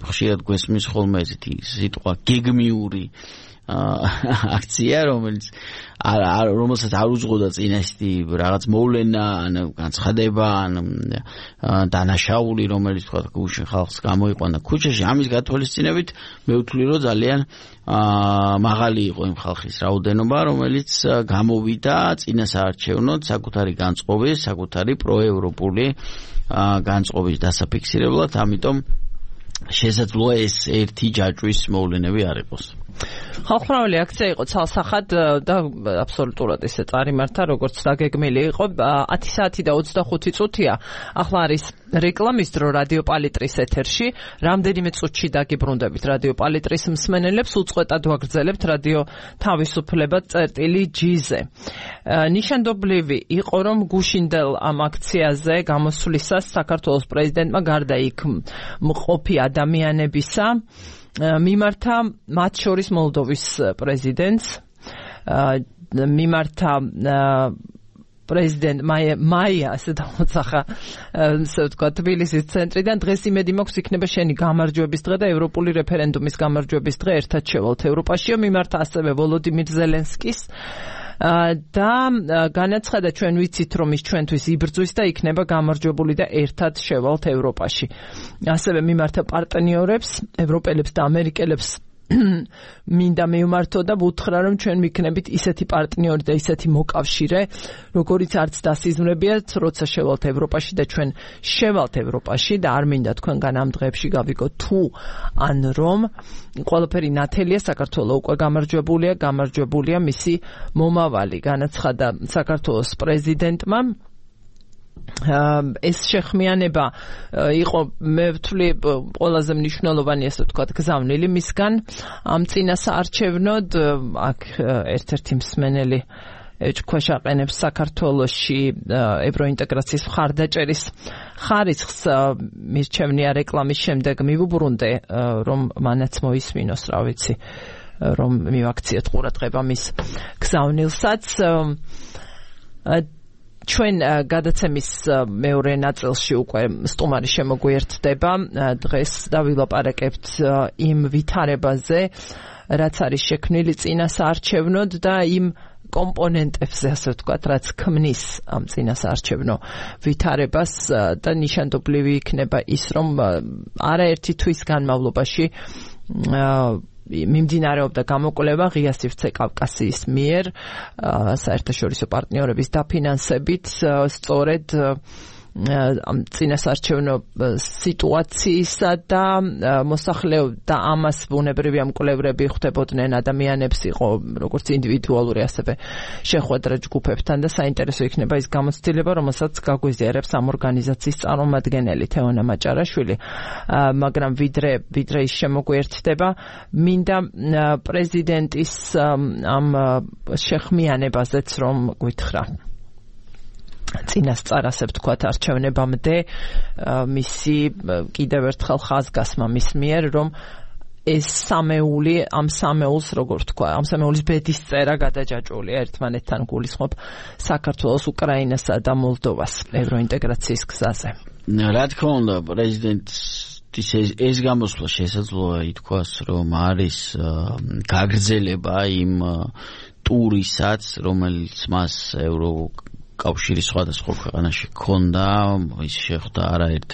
ხშირად გვესმის ხოლმე ესეთი სიტყვა გეგმიური აქცია, რომელსაც არ უძღოდა წინასწარი რაღაც მოვლენა, ან განცხადება, ან დანაშაული, რომელიც თქვა გუშინ ხალხს გამოიყვანა ქუჩაში. ამის გათვალისწინებით მე ვთვლი, რომ ძალიან მაღალი იყო იმ ხალხის რაოდენობა, რომელიც გამოვიდა წინასაარჩევნოდ საკუთარი განწყობის, საკუთარი პროევროპული განწყობის დასაფიქსირებლად, ამიტომ შესაძლოა ეს ერთი ჯაჭვის მოვლენები არ იყოს. ხალხმრავალი აქცია იყო ცალსახად და აბსოლუტურად ესე წარიმართა, როგორც დაგეგმილი იყო. 10 საათი და 25 წუთია ახლა არის რეკლამის დრო რადიო პალიტრის ეთერში. რამდენიმე წუთში დაგიბრუნდებით რადიო პალიტრის მსმენელებს, უწყვეტად ვაგრძელებთ რადიო თავისუფლება წერტილი-G-ზე. ნიშანდობლივი იყო, რომ გუშინდელ ამ აქციაზე გამოსვლისას საქართველოს პრეზიდენტმა გარდა იქ მყოფი ადამიანებისა მიმართა მათ შორის მოლდოვის პრეზიდენტს, მიმართა პრეზიდენტ მაია, ასე დამოწახა, ასე ვთქვა, თბილისის ცენტრიდან. დღეს იმედი მაქვს იქნება შენი გამარჯვების დღე და ევროპული რეფერენდუმის გამარჯვების დღე, ერთად შევალთ ევროპაშიო. მიმართა ასევე ვოლოდიმირ ზელენსკის და განაცხადა, ჩვენ ვიცით, რომ ის ჩვენთვის იბრძვის და იქნება გამარჯვებული და ერთად შევალთ ევროპაში. ასევე მიმართა პარტნიორებს, ევროპელებს და ამერიკელებს მინდა მივმართო და ვუთხრა, რომ ჩვენ ვიქნებით ისეთი პარტნიორი და ისეთი მოკავშირე, როგორიც არც დასიზმრებიათ, როცა შევალთ ევროპაში და ჩვენ შევალთ ევროპაში და არ მინდა თქვენგან ამ დღეებში გავიგოთ თუ ან რომ ყველაფერი ნათელია, საქართველო უკვე გამარჯვებულია მისი მომავალი, განაცხადა საქართველოს პრეზიდენტმა. ეს შეხმიანება იყო, მე ვთვლი, ყველაზე მნიშვნელოვანი, ასე ვთქვათ, გზავნილი მისგან ამ წინასაარჩევნოდ. აქ ერთ-ერთი მსმენელი ეჭქვეშ აყენებს საქართველოში ევროინტეგრაციის მხარდაჭერის ხარისხს. მირჩევნია რეკლამის შემდეგ მივუბრუნდე, რომ მანაც მოისმინოს, რა ვიცი, რომ მივაქციოთ ყურადღება მის გზავნილსაც. ჩვენ გადაცემის მეორე ნაწილში უკვე სტუმარი შემოგვიერთდება. დღეს დავილაპარაკებთ იმ ვითარებაზე, რაც არის შექმნილი წინასაარჩევნოდ და იმ კომპონენტებზე, ასე ვთქვათ, რაც ქმნის ამ წინასაარჩევნო ვითარებას და ნიშანდობლივი იქნება ის, რომ არაერთი თვის განმავლობაში მიმდინარეობდა გამოკვლევა ღია სივრცე კავკასიის მიერ საერთაშორისო პარტნიორების დაფინანსებით, სწორედ ამ წინასაარჩევნო სიტუაციისა და მოსახლეობ და ამას ბუნებრივია მკვლევრები ხვდებოდნენ ადამიანებს, იყო როგორც ინდივიდუალური, ასევე შეხვედრა ჯგუფებთან და საინტერესო იქნება ის გამოცდილება, რომელსაც გაგვიზიარებს ამ ორგანიზაციის წარმომადგენელი თეონა მაჭარაშვილი, მაგრამ ვიდრე ის შემოგვიერთდება, მინდა პრეზიდენტის ამ შეხმიანებაზეც რომ გვითხრა. წინასწარ, ასე ვთქვათ, არჩევნებამდე მისი კიდევ ერთხელ ხაზგასმა მის მიერ, რომ ეს სამეული, ამ სამეულს, როგორ ვთქვა, ამ სამეულის ბედისწერა გადაჯაჭვულია ერთმანეთთან გულისხმობ საქართველოს, უკრაინასა და მოლდოვას ევროინტეგრაციის გზაზე. რა თქმა უნდა, პრეზიდენტის ეს გამოსვლა შესაძლოა ითქვას, რომ არის გაგრძელება იმ ტურისაც, რომელიც მას კავშირის სხვადასხვა ქვეყანაში ჰქონდა, ის შეხვდა არაერთ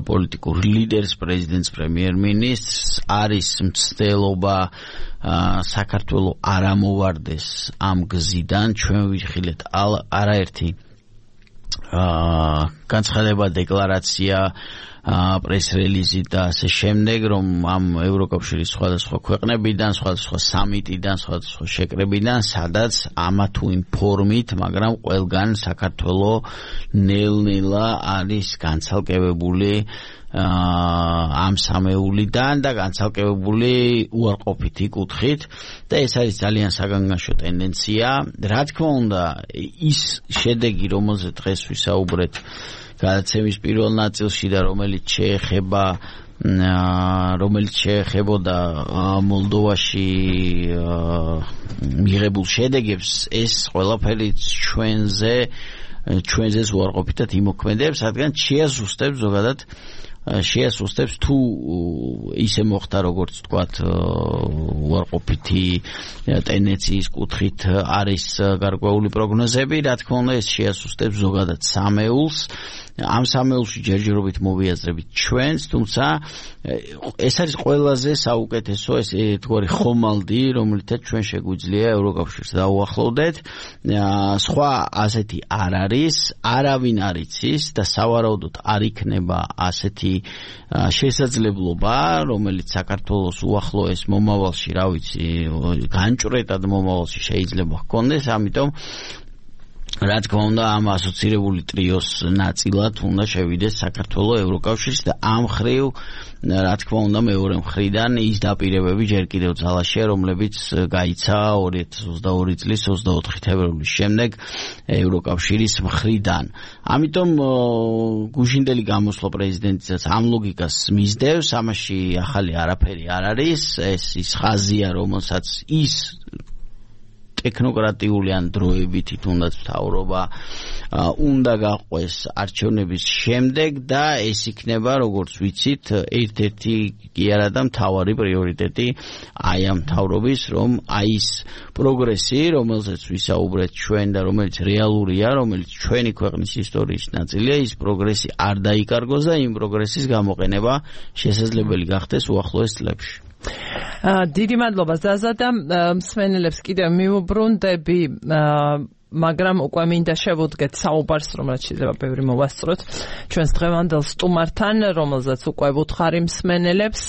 პოლიტიკურ ლიდერს, პრეზიდენტს, პრემიერ-მინისტრს. არის მცდელობა საქართველო არ ამოვარდეს ამ გზიდან. ჩვენ ვიხილეთ არაერთი განცხადება, დეკლარაცია პრეს-რელიზი და ასე შემდეგ, რომ ამ ევროკავშირის სხვადასხვა ქვეყნებიდან, სხვადასხვა სამიტიდან, სხვადასხვა შეკრებიდან, სადაც ამა თუ იმ ფორმით, მაგრამ ყველგან საქართველოს ნელ-ნელა არის განცალკევებული ამ სამეულიდან და განცალკევებული უარყოფითი კუთხით და ეს არის ძალიან საგანგაშო ტენდენცია. რა თქმა უნდა, ის შედეგი, რომელზეც დღეს ვისაუბრეთ გადაცემის პირველ ნაწილში და რომელიც შეეხებოდა მოლდოვაში მიღებულ შედეგებს, ეს ყველაფერი ჩვენზეც უარყოფითად იმოქმედებს, რადგან შეასუსტებს ზოგადად შეასუსტებს თუ ისე მოხდა როგორც თქვათ უარყოფითი ტენდენციის კუთხით არის გარკვეული პროგნოზები, რა თქმა უნდა ეს შეასუსტებს ზოგადად სამეულს. ამ სამეულში ჯერჯერობით მოვიაზრებით ჩვენს, თუმცა ეს არის ყველაზე საუკეთესო თქვარი ხომალდი, რომელთაც ჩვენ შეგვიძლია ევროკავშირს დაუახლოვდეთ. სხვა ასეთი არ არის, არავინ არ იცის და სავარაუდოდ არ იქნება ასეთი შესაძლებლობა, რომელიც საქართველოს უახლოეს მომავალში, რა ვიცი, განჭვრეტად მომავალში შეიძლება ჰქონდეს, ამიტომ რა თქმა უნდა ამ ასოცირებული ტრიოს ნაწილად უნდა შევიდეს საქართველოს ევროკავშირს და ამ ხრივ რა თქმა უნდა მეორე მხრიდან ის დაპირებები ჯერ კიდევ ძალაშია, რომლებიც გაიცა 2022 წლის 24 თებერვლის შემდეგ ევროკავშირის მხრიდან. ამიტომ გუშინდელი გამოსვლა პრეზიდენტისაც ამ ლოგიკას მისდევს, ამაში ახალი არაფერი არ არის, ეს ის ხაზია, რომელსაც ის ტექნოკრატიული ან დროებითი თუნდაც მთავრობა უნდა გაყვეს არჩევნების შემდეგ და ეს იქნება, როგორც ვიცით, ერთ-ერთი კი არა და მთავარი პრიორიტეტი აი ამ მთავრობის, რომ აი ის პროგრესი, რომელზეც ვისაუბრეთ ჩვენ და რომელიც რეალურია, რომელიც ჩვენი ქვეყნის ისტორიის ნაწილია, ის პროგრესი არ დაიკარგოს და იმ პროგრესის გამოყენება შესაძლებელი გახდეს უახლოეს წლებში. დიდი მადლობა ზაზა და მსმენელებს კიდევ მიუბრუნდები, მაგრამ უკვე მინდა შევუდგეთ საუბარს, რომელიც შეიძლება ბევრი მოვასწროთ ჩვენს დღევანდელ სტუმართან, რომელზეც უკვე ვუთხარი მსმენელებს.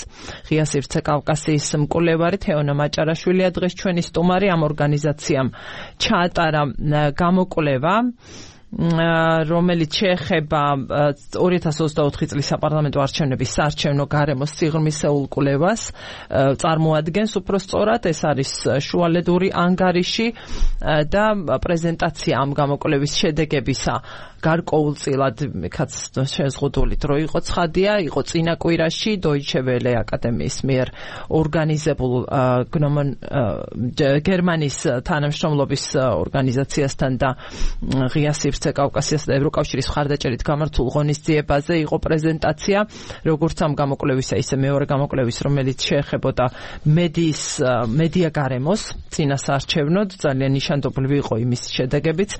ღია სივრცე კავკასიის მკვლევარი თეონა მაჭარაშვილია დღეს ჩვენი სტუმარი. ამ ორგანიზაციამ ჩაატარა გამოკვლევა, რომელიც შეეხება 2024 წლის საპარლამენტო არჩევნების საარჩევნო გარემოს სიღრმისეულ კვლევას, წარმოადგენს უფრო სწორად, ეს არის შუალედური ანგარიში და პრეზენტაცია ამ გამოკვლევის შედეგებისა გარკვეულწილად იქაც შეზღუდული დრო იყო ცხადია, იყო წინა კვირაში Deutsche Welle აკადემიის მიერ ორგანიზებულ გერმანიის თანამშრომლობის ორგანიზაციასთან და ღია სივრცე კავკასიას და ევროკავშირის მხარდაჭერით გამართულ ღონისძიებაზე იყო პრეზენტაცია, როგორც ამ გამოკვლევისა, ისე მეორე გამოკვლევის, რომელიც შეეხებოდა მედია გარემოს წინასაარჩევნოდ, ძალიან ნიშანდობლივი იყო იმის შედეგებიც.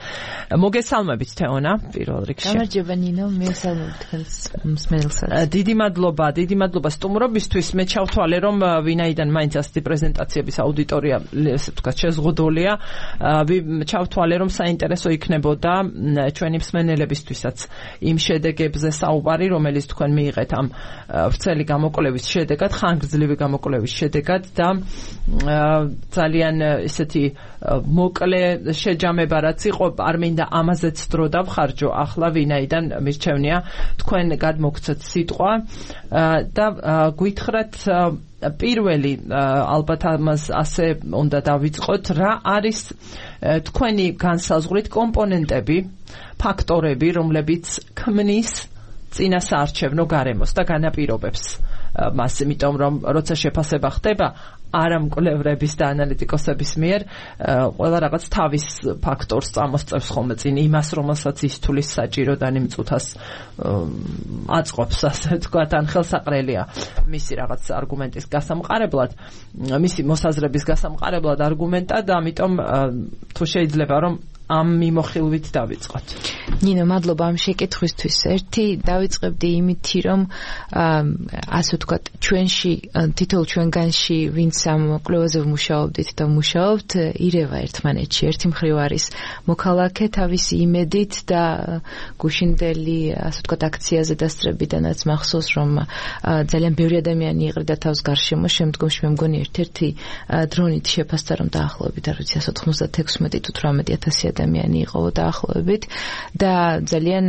მოგესალმებით თეონა. პირველ რიგში. გამარჯობა ნინო, მესალმებით თქვენს მსმენელსაც. დიდი მადლობა სტუმრობისთვის. მე ჩავთვალე, რომ ვინაიდან მაინც ასეთი პრეზენტაციების აუდიტორია, ესე ვთქვათ, შეზღუდულია, ჩავთვალე, რომ საინტერესო იქნებოდა ჩვენი მსმენელებისთვისაც იმ შედეგებზე საუბარი, რომელიც თქვენ მიიღეთ ამ ვრცელი გამოკვლევის შედეგად, ხანგრძლივი გამოკვლევის შედეგად და ძალიან ესეთი მოკლე შეჯამება რაც იყო, არ მინდა ამაზეც დრო დავხარჯო ახლა, ვინაიდან მირჩევნია თქვენ გადმოგცეთ სიტყვა და გვითხრათ პირველი, ალბათ ამას ასე უნდა დავიწყოთ, რა არის თქვენი განსაზღვრით კომპონენტები, ფაქტორები, რომლებიც ქმნის წინასაარჩევნო გარემოს და განაპირობებს მას, იმიტომ რომ როცა შეფასება ხდება არა მკვლევრების და ანალიტიკოსების მიერ, ყველა რაღაც თავის ფაქტორს წამოსწევს ხოლმე წინ იმას, რომელსაც ის თulis საჭიროდ ან იმ წუთას აწყობს, ასე ვთქვათ, ან ხელსაყრელია მისი რაღაც არგუმენტის გასამყარებლად, მისი მოსაზრების გასამყარებლად არგუმენტად, ამიტომ თუ შეიძლება რომ ამ მიმოხილვით დავიწყოთ. ნინო, მადლობა ამ შეკითხვისთვის. ერთი დავიწყებდი იმითი, რომ ასე ვთქვათ, ჩვენში თითოეულ ჩვენგანში ვინც ამ კვლევაზე ვმუშაობდით და მუშაობთ, ირევა ერთმანეთში. ერთი მხრივ არის მოქალაქე თავისი იმედით და გუშინდელი ასე ვთქვათ აქციაზე დასწრებიდანაც მახსოვს, რომ ძალიან ბევრი ადამიანი იყრიდა თავს გარშემო, შემდგომში მე მგონი ერთ-ერთი დრონით შეფასდა, რომ დაახლოებით არ ვიცი 196 თუ 18000 ადამიანი იყო დაახლოებით და ძალიან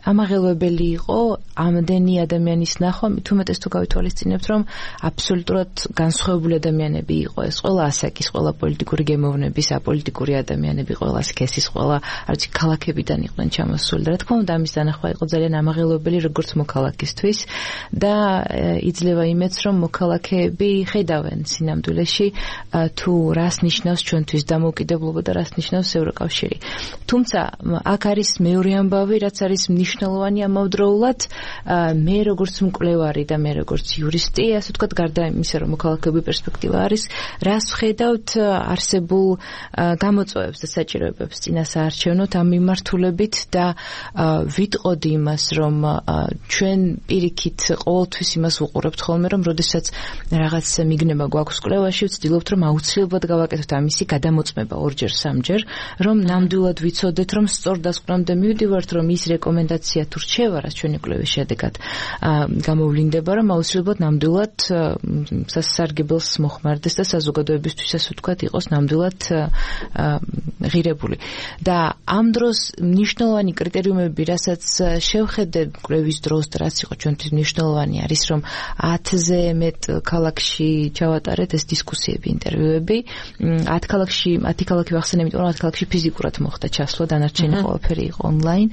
ამაღელვებელი იყო ამდენი ადამიანის ნახვა, თუმეტეს თუ გავითვალისწინებთ, რომ აბსოლუტურად განსხვავებული ადამიანები იყო ეს, ყველა ასაკის, ყველა პოლიტიკური გემოვნების, აპოლიტიკური ადამიანები, ყველა სქესის, ყველა არც ქალაქებიდან იყვნენ ჩამოსული და რა თქმა უნდა ამის დანახვა იყო ძალიან ამაღელვებელი როგორც მოქალაქისთვის და იძლევა იმედს, რომ მოქალაქეები ხედავენ სინამდვილეში თუ რას ნიშნავს ჩვენთვის დამოუკიდებლობა და რას ნიშნავს ევროკავშირი. თუმცა აქ არის მეორე ამბავი, რაც არის მნიშვნელოვანი ამავდროულად, მე როგორც მკვლევარი და მე როგორც იურისტი, ასე ვთქვათ, გარდა იმისა, რომ მოქალაქეობის პერსპექტივა არის, რას ვხედავთ არსებულ გამოწვევებს და საჭიროებებს წინასაარჩევნოთ ამ მიმართულებით და ვიტყოდი იმას, რომ ჩვენ პირიქით ყოველთვის იმას ვუყურებთ ხოლმე, რომ როდესაც რაღაც მიგნება გვაქვს კვლევაში, ვცდილობთ, რომ აუცილებლად გავაკეთოთ ამისი გადამოწმება ორჯერ, სამჯერ, რომ ნამდვილად ვიცოდეთ, რომ სწორ დასკვნამდე მივდივართ, რომ ის რეკომენდაცია თუ რჩევა, რაც ჩვენი კვლევის შედეგად გამოვლინდება, რომ აუცილებლად ნამდვილად სასარგებლოს მოხმარდეს და საზოგადოებისთვის, ასე ვთქვათ, იყოს ნამდვილად ღირებული. და ამ დროს მნიშვნელოვანი კრიტერიუმები, რასაც შევხედე კვლევის დროს და რაც იყო ჩვენთვის მნიშვნელოვანი არის, რომ 10-ზე მეტ ქალაქში ჩავატარეთ ეს დისკუსიები, ინტერვიუები. 10 ქალაქი ვახსენე, იმიტომ რომ 10 ქალაქში ფიზიკურად მოხდა ჩასვლა, დანარჩენი ყველაფერი იყო ონლაინ.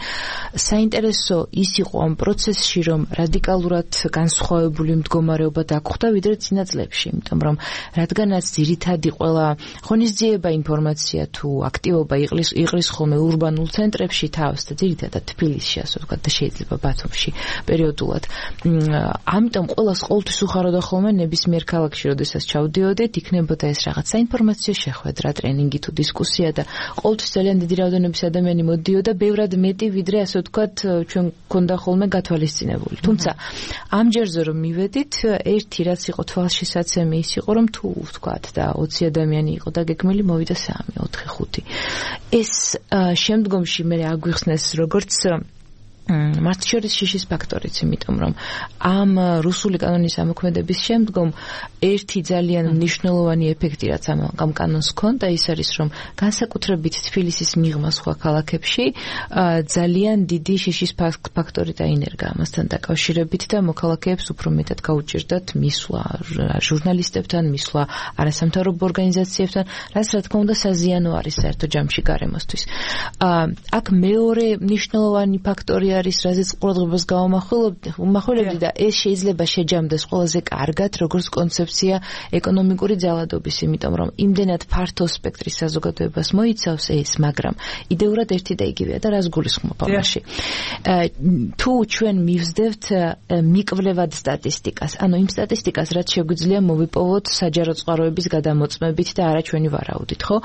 საინტერესო ის იყო ამ პროცესში, რომ რადიკალურად განსხვავებული მდგომარეობა დაგხვდა ვიდრე წინა წლებში, იმიტომ რომ რადგანაც ძირითადი ყველა ღონისძიება ინფორმაცია თუ აქტივობა იყრის ხოლმე ურბანულ ცენტრებში თავს და ძირითადად თბილისში, ასე ვთქვათ, და შეიძლება ბათუმში პერიოდულად. ამიტომ ყველას ყოველთვის უხაროდა ხოლმე ნებისმიერ ქალაქში, როდესაც ჩავდიოდით, იქნებოდა ეს რაღაც საინფორმაციო შეხვედრა, ტრენინგი თუ დისკუსია და ყოველთვის ძალიან დიდი რაოდენობის ადამიანი მოდიოდა, ბევრად მეტი ვიდრე ასე ვთქვათ, ჩვენ გქონდა ხოლმე გათვალისწინებული. თუმცა ამ ჯერზე რომ მივედით, ერთი რაც იყო თვალშისაცემი ის იყო, რომ თუ ვთქვათ და 20 ადამიანი იყო დაგეგმილი, მოვიდა 3, 4, 5. ეს შემდგომში მე აგვიხსნეს როგორც მართლშორის შიშის ფაქტორიც, იმიტომ რომ ამ რუსული კანონის ამოქმედების შემდგომ ერთი ძალიან მნიშვნელოვანი ეფექტი, რაც ამ კანონს ჰქონდა, ის არის, რომ განსაკუთრებით თბილისის მიღმა სხვა ქალაქებში ძალიან დიდი შიშის ფაქტორი დაინერგა ამასთან დაკავშირებით და მოქალაქეებს უფრო მეტად გაუჭირდათ მისვლა ჟურნალისტებთან, მისვლა არასამთავრობო ორგანიზაციებთან, რაც რა თქმა უნდა საზიანო არის საერთო ჯამში გარემოსთვის. აქ მეორე მნიშვნელოვანი ფაქტორი არის, რაზეც ყურადღებას გავამახვილებდი და ეს შეიძლება შეჯამდეს ყველაზე კარგად, როგორც კონცეფცია ეკონომიკური ძალადობის, იმიტომ რომ იმდენად ფართო სპექტრის საზოგადოებას მოიცავს ეს, მაგრამ იდეურად ერთი და იგივეა და რას გულისხმობ ამაში. თუ ჩვენ მივსდევთ მიკვლევად სტატისტიკას, ანუ იმ სტატისტიკას, რაც შეგვიძლია მოვიპოვოთ საჯარო წყაროების გადამოწმებით და არა ჩვენი ვარაუდით, ხო?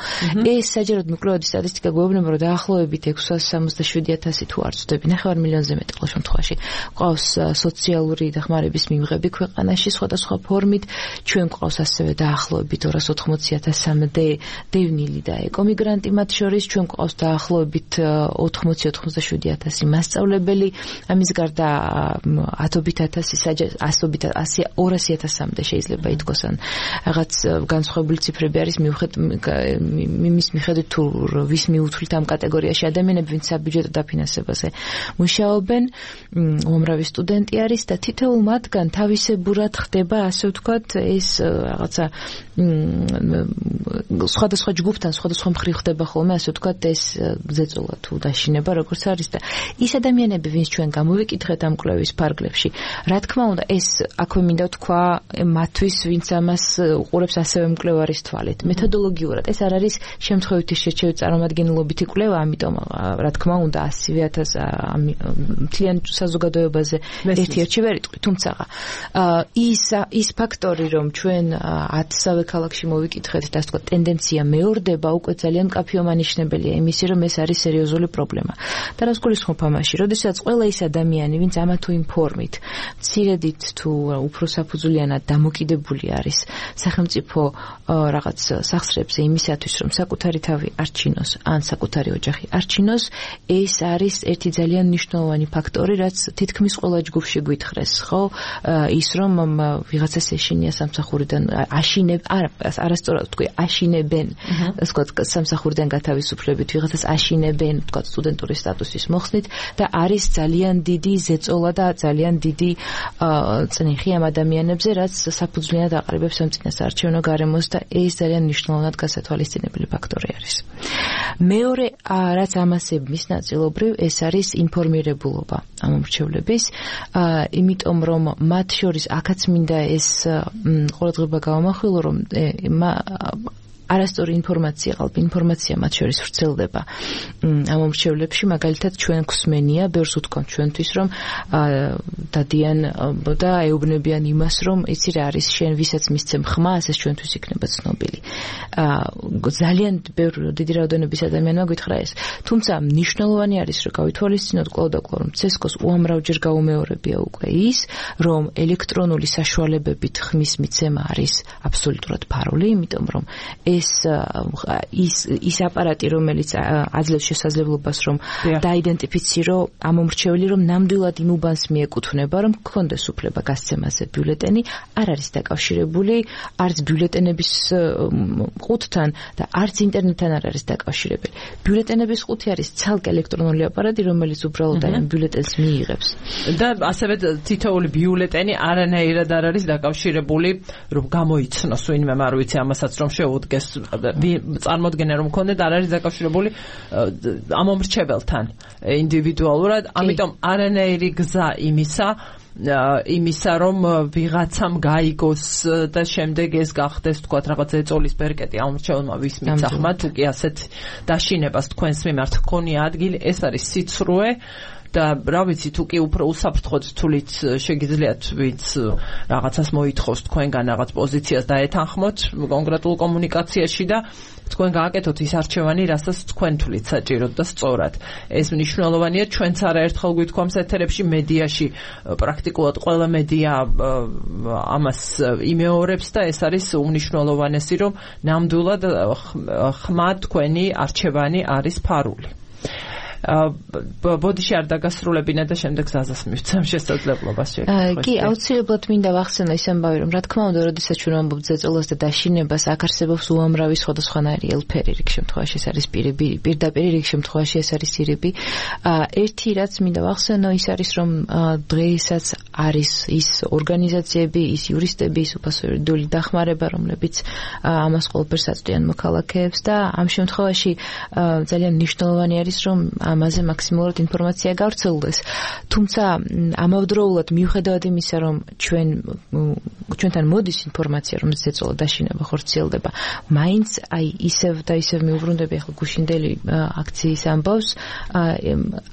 ეს საჯაროდ მიკვლევადი სტატისტიკა გვეუბნება, რომ დაახლოებით 667,000 თუ არ ვცდები, 9 მილიონზე მეტი ყოველ შემთხვევაში ყავს სოციალური დახმარების მიმღები ქვეყანაში სხვადასხვა ფორმით, ჩვენ ყავს ასევე დაახლოებით 280,000-მდე დევნილი და ეკომიგრანტი მათ შორის, ჩვენ ყავს დაახლოებით 80-87,000 მასწავლებელი, ამის გარდა 10,000 ასობით 200,000-მდე შეიძლება ითქვას, ან რაღაც განსხვავებული ციფრები არის იმის მიხედვით თუ ვის მიუთვლით ამ კატეგორიაში ადამიანები, ვინც საბიუჯეტო დაფინანსებაზე მუშაობენ, უამრავი სტუდენტი არის და თითოეულ მათგან თავისებურად ხდება, ასე ვთქვათ, ეს რაღაცა სხვადასხვა ჯგუფთან, სხვადასხვა მხრივ ხდება ხოლმე, ასე ვთქვათ, ეს ზეწოლა თუ დაშინება, როგორც არის და ის ადამიანები, ვინც ჩვენ გამოვიკითხეთ ამ კვლევის ფარგლებში, რა თქმა უნდა, ეს აქვე მინდა თქვა მათთვის, ვინც ამას უყურებს ასევე მკვლევარის თვალით. მეთოდოლოგიურად ეს არ არის შემთხვევითი შერჩევით წარმომადგენლობითი კვლევა, ამიტომ რა თქმა უნდა 100,000 მთლიან საზოგადოებაზე ერთ-ერთი ვერ იტყვი, თუმცა ის ფაქტორი, რომ ჩვენ 10-სავე ქალაქში მოვიკითხეთ და ასე ვთქვათ, ტენდენცია მეორდება, უკვე ძალიან მკაფიო მანიშნებელია იმისი, რომ ეს არის სერიოზული პრობლემა. და რას გულისხმობ ამაში? როდესაც ყველა ის ადამიანი, ვინც ამა თუ იმ ფორმით, მცირედით თუ უფრო საფუძვლიანად დამოკიდებული არის სახელმწიფო რაღაც სახსრებზე იმისათვის, რომ საკუთარი თავი არჩინოს, ან საკუთარი ოჯახი არჩინოს, ეს არის ერთი ძალიან მნიშვნელოვანი ფაქტორი, რაც თითქმის ყველა ჯგუფში გვითხრეს, ხო? ის რომ ვიღაცას ეშინია სამსახურიდან არასწორად ვთქვი, აშინებენ, ასე ვთქვათ, სამსახურიდან გათავისუფლებით, ვიღაცას აშინებენ, ვთქვათ, სტუდენტური სტატუსის მოხსნით და არის ძალიან დიდი ზეწოლა და ძალიან დიდი წნიხი ამ ადამიანებზე, რაც საფუძვლიანად აყალიბებს ამ წინასაარჩევნო გარემოს და ეს ძალიან მნიშვნელოვნად გასათვალისწინებელი ფაქტორი არის. მეორე, რაც ამასების ნაწილობრივ, ეს არის ინფორმირებულობა ამ მომრჩევლების, იმიტომ რომ მათ შორის აქაც მინდა ეს ყურადღება გავამახვილო, რომ არასწორი ინფორმაცია მათ შორის ვრცელდება ამ მომრჩევლებში, მაგალითად ჩვენ გვსმენია, ბევრს უთქვამთ ჩვენთვის, რომ დადიან და ეუბნებიან იმას, რომ იცი რა არის შენ ვისაც მისცემ ხმა, ეს ჩვენთვის იქნება ცნობილი. ძალიან დიდი რაოდენობის ადამიანმა გითხრა ეს. თუმცა მნიშვნელოვანი არის, რომ გავითვალისწინოთ კვლავ და კვლავ, რომ CSKO-ს უამრავჯერ გაუმეორებია უკვე ის, რომ ელექტრონული საშუალებებით ხმის მიცემა არის აბსოლუტურად ფარული, იმიტომ რომ ის აპარატი, რომელიც აძლევს შესაძლებლობას, რომ დაიდენტიფიცირო ამ მომრჩეველი, რომ ნამდვილად იმ უბანს მიეკუთვნება, რომ გქონდეს უფლება გასცემაზე ბიულეტენი, არ არის დაკავშირებული არც ბიულეტენების ყუთთან და არც ინტერნეტთან არ არის დაკავშირებელი. ბიულეტენების ყუთი არის ცალკე ელექტრონული აპარატი, რომელიც უბრალოდ ამ ბიულეტენს მიიღებს. და ასევე თითოეული ბიულეტენი არანაირად არ არის დაკავშირებული, რომ გამოიცნოს ვინმე, არ ვიცი ამასაც რომ შეუდგეს წარმოდგენა რომ მქონდეთ, არ არის დაკავშირებული ამ მომრჩეველთან ინდივიდუალურად, ამიტომ არანაირი გზა იმისა რომ ვიღაცამ გაიგოს და შემდეგ ეს გახდეს თქვათ რაღაც ეწოლის ბერკეტი ამ მომრჩეველმა ვის მიცახმა, თუ კი ასეთ დაშინებას თქვენს მიმართ ჰქონია ადგილი, ეს არის სიცრუე და რა ვიცი, თუ კი უფრო უსაფრთხოდ თulit შეგიძლიათ ვინც რაღაცას მოითხოვს თქვენგან რაღაც პოზიციას დაეთანხმოთ კონკრეტულ კომუნიკაციაში და თქვენ გააკეთოთ ის არჩევანი, რასაც თქვენ თulit საჭიროდ და სწორად. ეს მნიშვნელოვანია, ჩვენც არაერთხელ გვითქვამს ეთერებში, მედიაში პრაქტიკულად ყველა მედია ამას იმეორებს და ეს არის უმნიშვნელოვანესი, რომ ნამდვილად ხმა თქვენი არჩევანი არის ფარული. ბოდიში არ დაგასრულებინა და შემდეგ გზაზას მივცემ შესაძლებლობას შეგხვდეთ. კი, აუცილებლად მინდა ვახსენო ის ამბავი, რომ რა თქმა უნდა, როდესაც ჩვენ ვამბობთ ზეწოლას და დაშინებას, აქ არსებობს უამრავი სხვადასხვანაირი ელფერი, რიგ შემთხვევაში ეს არის პირდაპირ, რიგ შემთხვევაში ეს არის ირიბი. ერთი რაც მინდა ვახსენო, ის არის, რომ დღეისაც არის ის ორგანიზაციები, ის იურისტები, ის უფასო იურიდიული დახმარება, რომლებიც ამას ყოველფერს აწვდიან მოქალაქეებს და ამ შემთხვევაში ძალიან მნიშვნელოვანი არის, რომ ამაზე მაქსიმალურად ინფორმაცია გავრცელდეს. თუმცა ამავდროულად მიუხედავად იმისა, რომ ჩვენთან მოდის ინფორმაცია, რომ ზეწოლა დაშინება ხორციელდება, მაინც ისევ და ისევ მიუბრუნდები ახლა გუშინდელი აქციის ამბავს,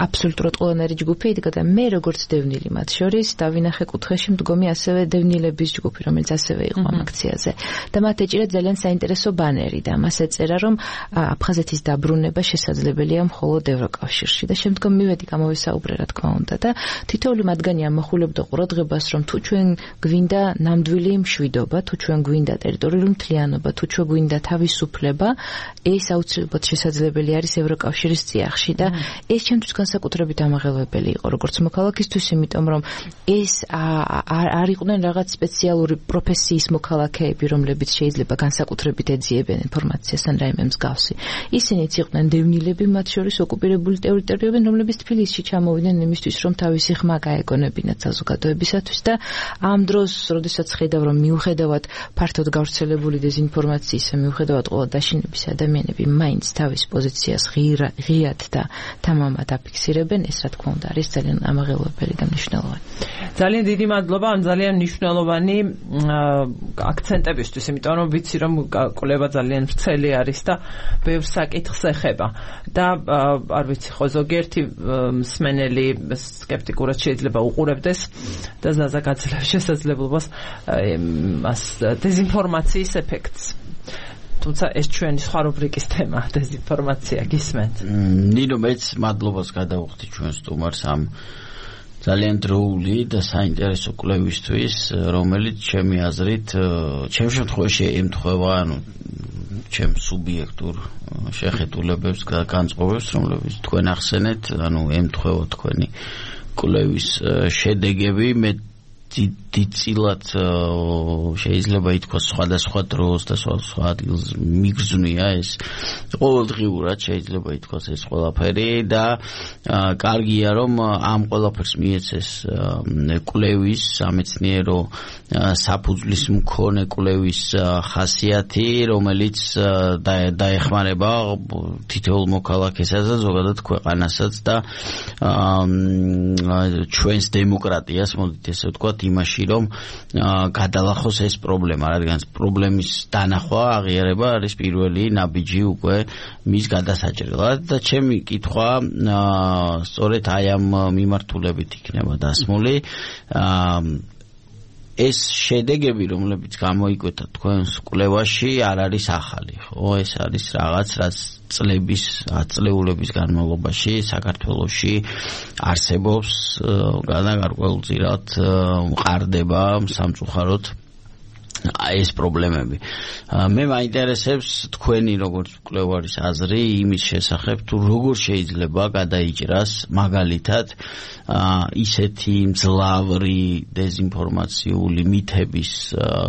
აბსოლუტურად ყველანაირი ჯგუფი იდგა და მე როგორც დევნილი მათ შორის დავინახე კუთხეში მდგომი ასევე დევნილების ჯგუფი, რომელიც ასევე იყო ამ აქციაზე და მათ ეჭირა ძალიან საინტერესო ბანერი და მას ეწერა, რომ აფხაზეთის დაბრუნება შესაძლებელია მხოლოდ ევროკავშირში და შემდგომ მივედი გამოვისაუბრე რა თქმა უნდა და თითოეული მათგანი ამახვილებდა ყურადღებას, რომ თუ ჩვენ გვინდა ნამდვილი მშვიდობა, თუ ჩვენ გვინდა ტერიტორიული მთლიანობა, თუ ჩვენ გვინდა თავისუფლება, ეს აუცილებლად შესაძლებელი არის ევროკავშირის წიაღში და ეს ჩემთვის განსაკუთრებით ამაღელვებელი იყო როგორც მოქალაქისთვის, იმიტომ რომ ეს არ იყვნენ რაღაც სპეციალური პროფესიის მოქალაქეები, რომლებიც შეიძლება განსაკუთრებით ეძიებენ ინფორმაციას ან რაიმე მსგავსი. ისინიც იყვნენ დევნილები, მათ შორის ოკუპირებული ტერიტორიები, რომლებიც თბილისში ჩამოვიდნენ იმისთვის, რომ თავისი ხმა გაეგონებინათ საზოგადოებისათვის და ამ დროს, როდესაც ხედავ, რომ მიუხედავად ფართოდ გავრცელებული დეზინფორმაციისა, მიუხედავად ყველა დაშინების ადამიანები მაინც თავის პოზიციას ღიად და თამამად აფიქსირებენ, ეს რა თქმა უნდა არის ძალიან ამაღელვებელი და მნიშვნელოვანი. ძალიან დიდი მადლობა ამ ძალიან მნიშვნელოვანი აქცენტებისთვის, იმიტომ რომ ვიცი რომ კვლევა ძალიან ვრცელი არის და ბევრ საკითხს ეხება და არ ვიცი ვიცი ხო ზოგიერთი მსმენელი სკეპტიკურად შეიძლება უყურებდეს და ზაზაკაცლებს შესაძლებლობას დეზინფორმაციის ეფექტს თუმცა ეს ჩვენი სხვა რუბრიკის თემა დეზინფორმაცია გისმენთ ნინო მეც მადლობას გადავუხდი ჩვენ სტუმარს ამ ძალიან დროული და საინტერესო კვლევისთვის რომელიც ჩემი აზრით ჩემ შემთხვევაში ემთხვევა ანუ ჩემ სუბიექტურ შეხედულებებს განწყობებს რომლებიც თქვენ ახსენეთ ანუ ემთხვევა თქვენი კვლევის შედეგები მე დიდწილად შეიძლება ითქვას სხვადასხვა დროს და სხვა ადგილს მიგრძნია ეს ყოველდღიურად შეიძლება ითქვას ეს ყველაფერი და კარგია რომ ამ ყველაფერს მიეცეს კვლევის სამეცნიერო საფუძვლის მქონე კვლევის ხასიათი რომელიც დაეხმარება თითოეულ მოქალაქესაც და ზოგადად ქვეყანასაც და ჩვენს დემოკრატიას მოდით ესე ვთქვათ იმაში რომ გადალახოს ეს პრობლემა რადგან პრობლემის დანახვა აღიარება არის პირველი ნაბიჯი უკვე მის გადასაჭრელად და ჩემი კითხვა სწორედ აი ამ მიმართულებით იქნება დასმული ეს შედეგები რომლებიც გამოიკვეთა თქვენს კვლევაში არ არის ახალი ხო ეს არის რაღაც რაც წლების ათწლეულების განმავლობაში საქართველოში არსებობს განაგარკვეულწილად მყარდება სამწუხაროდ ეს პრობლემები მე მაინტერესებს თქვენი როგორც კვლევარის აზრი იმის შესახებ თუ როგორ შეიძლება გადაიჭრას მაგალითად ისეთი მძლავრი დეზინფორმაციული მითების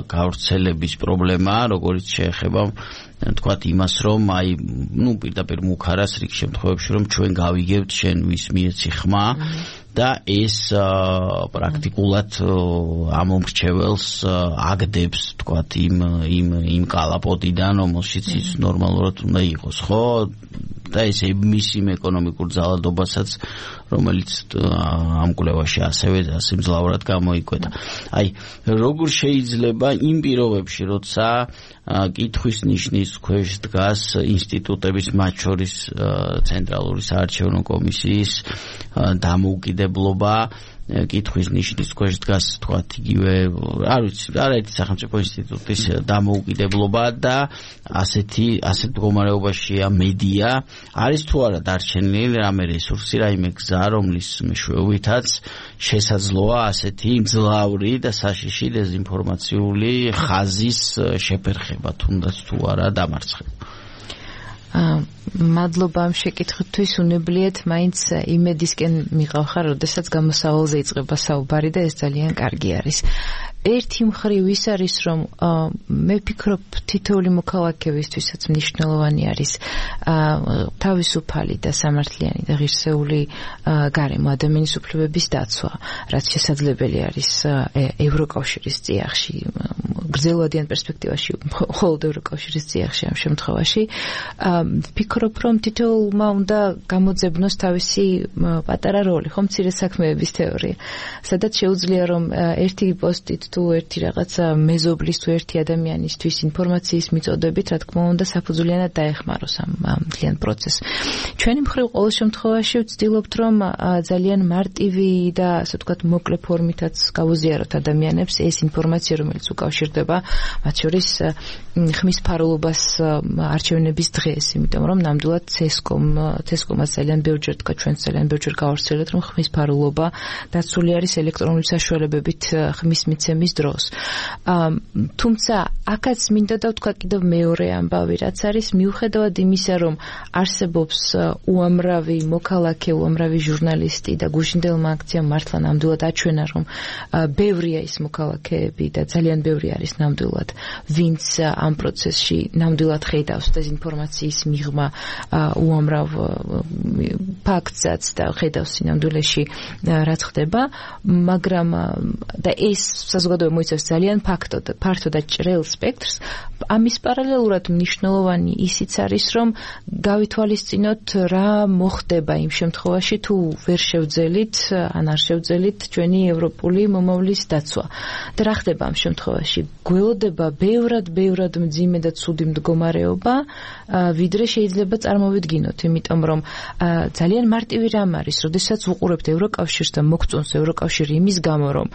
გავრცელების პრობლემა როგორც შეეხება თქვათ იმას რომ აი ნუ პირდაპირ მუქარას რიგ შემთხვევებში რომ ჩვენ გავიგებთ შენ ვის მიეცი ხმა და ეს პრაქტიკულად ამომრჩეველს აგდებს თქვათ იმ კალაპოტიდან რომელშიც ის ნორმალურად უნდა იყოს ხო და ეს მისი ეკონომიკურ ძალადობასაც რომელიც ამ კვლევაში ასევე მძლავრად გამოიკვეთა აი როგორ შეიძლება იმ პირობებში როცა კითხვის ნიშნის ქვეშ დგას ინსტიტუტების მათ შორის ცენტრალური საარჩევნო კომისიის დამოუკიდებლობა კითხვის ნიშნის ქვეშ დგას თქვათ იგივე არ ვიცი არაერთი სახელმწიფო ინსტიტუტის დამოუკიდებლობა და ასეთ მდგომარეობაშია მედია არის თუ არა დარჩენილი რამე რესურსი რაიმე გზა რომლის მეშვეობითაც შესაძლოა ასეთი მძლავრი და საშიში დეზინფორმაციული ხაზის შეფერხება თუნდაც თუ არა დამარცხება მადლობა ამ შეკითხვისთვის უნებლიეთ მაინც იმედისკენ მიყავხარ როდესაც გამოსავალზე იწყება საუბარი და ეს ძალიან კარგი არის ერთი მხრივ ის არის რომ მე ვფიქრობ თითოეული მოქალაქეებისთვისაც მნიშვნელოვანი არის თავისუფალი და სამართლიანი და ღირსეული გარემო ადამიანის უფლებების დაცვა რაც შესაძლებელი არის ევროკავშირის წიაღში გრძელვადიან პერსპექტივაში მხოლოდ ევროკავშირის წიაღში ამ შემთხვევაში ვფიქრობ რომ თითოეულმა უნდა გამოძებნოს თავისი პატარა როლი ხო მცირე საქმეების თეორია სადაც შეუძლია რომ ერთი პოსტით თუ ერთი რაღაცა მეზობლის თუ ერთი ადამიანისთვის ინფორმაციის მიწოდებით რა თქმა უნდა საფუძვლიანად დაეხმაროს ამ მთლიან პროცესს ჩვენი მხრივ ყოველ შემთხვევაში ვცდილობთ რომ ძალიან მარტივი და ასე ვთქვათ მოკლე ფორმითაც გავუზიაროთ ადამიანებს ეს ინფორმაცია რომელიც უკავშირდება მათ შორის ხმის ფარულობას არჩევნების დღეს იმიტომ რომ ნამდვილად CESCOM-ს ძალიან ბევრჯერ თქვა ჩვენს ძალიან ბევრჯერ გავავრცელეთ რომ ხმის ფარულობა დაცული არის ელექტრონული საშუალებებით ხმის მიცემის დროს თუმცა აქაც მინდა და ვთქვა კიდევ მეორე ამბავი რაც არის მიუხედავად იმისა რომ არსებობს უამრავი მოქალაქე უამრავი ჟურნალისტი და გუშინდელმა აქციამ მართლა ნამდვილად აჩვენა რომ ბევრია ის მოქალაქეები და ძალიან ბევრი არის ნამდვილად ვინც ამ პროცესში ნამდვილად ხედავს დეზინფორმაციის მიღმა უამრავ ფაქტსაც და ხედავს სინამდვილეში რაც ხდება მაგრამ და ეს საზოგადოება მოიცავს ძალიან ფართო და ჭრელ სპექტრს ამის პარალელურად მნიშვნელოვანი ისიც არის რომ გავითვალისწინოთ რა მოხდება იმ შემთხვევაში თუ ვერ შევძელით ან არ შევძელით ჩვენი ევროპული მომავლის დაცვა და რა ხდება ამ შემთხვევაში გველოდება ბევრად მძიმე და ცუდი მდგომარეობა, ვიდრე შეიძლება წარმოვიდგინოთ, იმიტომ რომ ძალიან მარტივი რამ არის, როდესაც ვუყურებთ ევროკავშირს და მოგწონს ევროკავშირი იმის გამო, რომ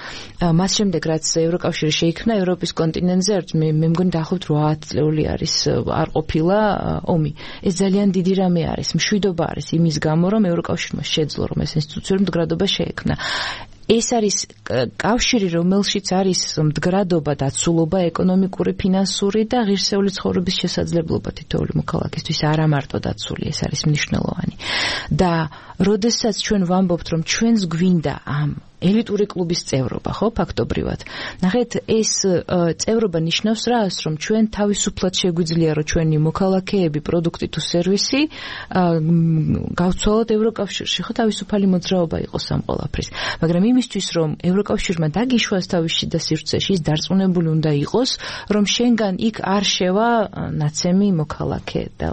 მას შემდეგ რაც ევროკავშირი შეიქმნა ევროპის კონტინენტზე, მე მგონი დაახლოებით 8 წლეული არის არ ყოფილა ომი. ეს ძალიან დიდი რამე არის, მშვიდობა არის იმის გამო, რომ ევროკავშირმა შეძლო, რომ ეს ინსტიტუციური მდგრადობა შეექმნა. ეს არის კავშირი, რომელშიც არის მდგრადობა, დაცულობა, ეკონომიკური, ფინანსური და ღირსეული ცხოვრების შესაძლებლობა თითოეული მოქალაქისთვის, არა მარტო დაცული, ეს არის მნიშვნელოვანი. და როდესაც ჩვენ ვამბობთ, რომ ჩვენს გვინდა ამ ელიტური კლუბის წევრობა, ხო, ფაქტობრივად. ნახეთ, ეს წევრობა ნიშნავს რას, რომ ჩვენ თავისუფლად შეგვიძლია, რომ ჩვენი მოქალაქეები, პროდუქტი თუ სერვისი გავცვალოთ ევროკავშირში, ხო, თავისუფალი მოძრაობა იყოს ამ ყველაფრის. მაგრამ იმისთვის, რომ ევროკავშირმა დაგიშვას თავის შიდა სივრცეში, ის დარწმუნებული უნდა იყოს, რომ შენგან იქ არ შევა ნაცემი მოქალაქე და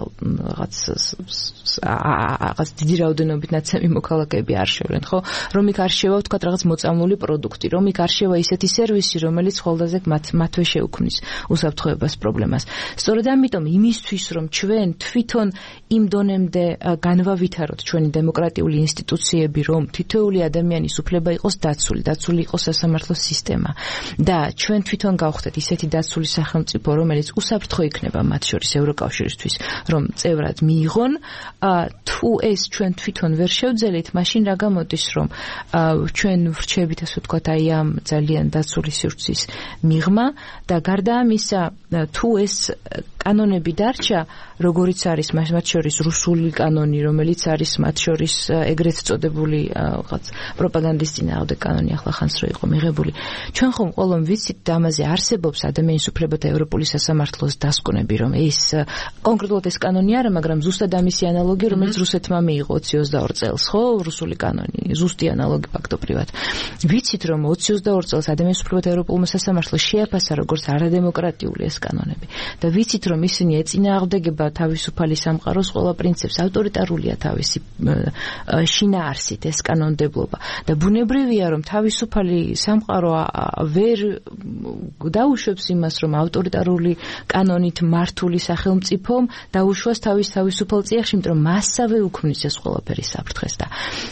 რაღაც დიდი რაოდენობით ნაცემი მოქალაქეები არ შევლენ, ხო? რომ იქ არ შევა, ვთქვათ, რაღაც მოწამლული პროდუქტი, რომ იქ არ შევა ისეთი სერვისი, რომელიც ხოლდაზე მათვე შეუქმნის უსაფრთხოებას პრობლემას. სწორედ ამიტომ იმისთვის, რომ ჩვენ თვითონ იმ დონემდე განვავითაროთ ჩვენი დემოკრატიული ინსტიტუციები, რომ თითოეული ადამიანის უფლება იყოს დაცული იყოს სასამართლო სისტემა და ჩვენ თვითონ გავხდეთ ისეთი დაცული სახელმწიფო, რომელიც უსაფრთხო იქნება მათ შორის ევროკავშირისთვის, რომ წევრად მიიღონ, თუ ეს ჩვენ თვითონ ვერ შევძელით, მაშინ რა გამოდის, რომ ჩვენ ვრჩებით, ასე ვთქვათ, აი ამ ძალიან დაცული სივრცის მიღმა და გარდა ამისა, თუ ეს კანონები დარჩა, როგორიც არის მათ შორის რუსული კანონი, რომელიც არის მათ შორის ეგრეთ წოდებული რაღაც პროპაგანდის წინააღმდეგ კანონი, ახლა ხანს რო იყო მიღებული. ჩვენ ხომ ყველამ ვიცით და ამაზე არსებობს ადამიანის უფლებათა ევროპული სასამართლოს დასკვნები, რომ ეს კონკრეტულად ეს კანონი არა, მაგრამ ზუსტად ამისი ანალოგი, რომელიც რუსეთმა მიიღო 22 წელს, ხო, რუსული კანონი, ზუსტი ანალოგი ფაქტობრივად. ვიცით, რომ 22 წელს ადამიანის უფლებათა ევროპულმა სასამართლოს შეაფასა როგორც არადემოკრატიული ეს კანონები და ვიცით, რომ ისინი ეწინააღმდეგება თავისუფალი სამყაროს ყველა პრინციპს, ავტორიტარულია თავისი შინაარსით ეს კანონმდებლობა და ბუნებრივია, რომ თავისუფალი სამყარო ვერ დაუშვებს იმას, რომ ავტორიტარული კანონით მართული სახელმწიფომ დაუშვას თავისუფალ წიაღში, იმიტომ რომ მასსავე უქმნის ეს ყველაფერი საფრთხეს და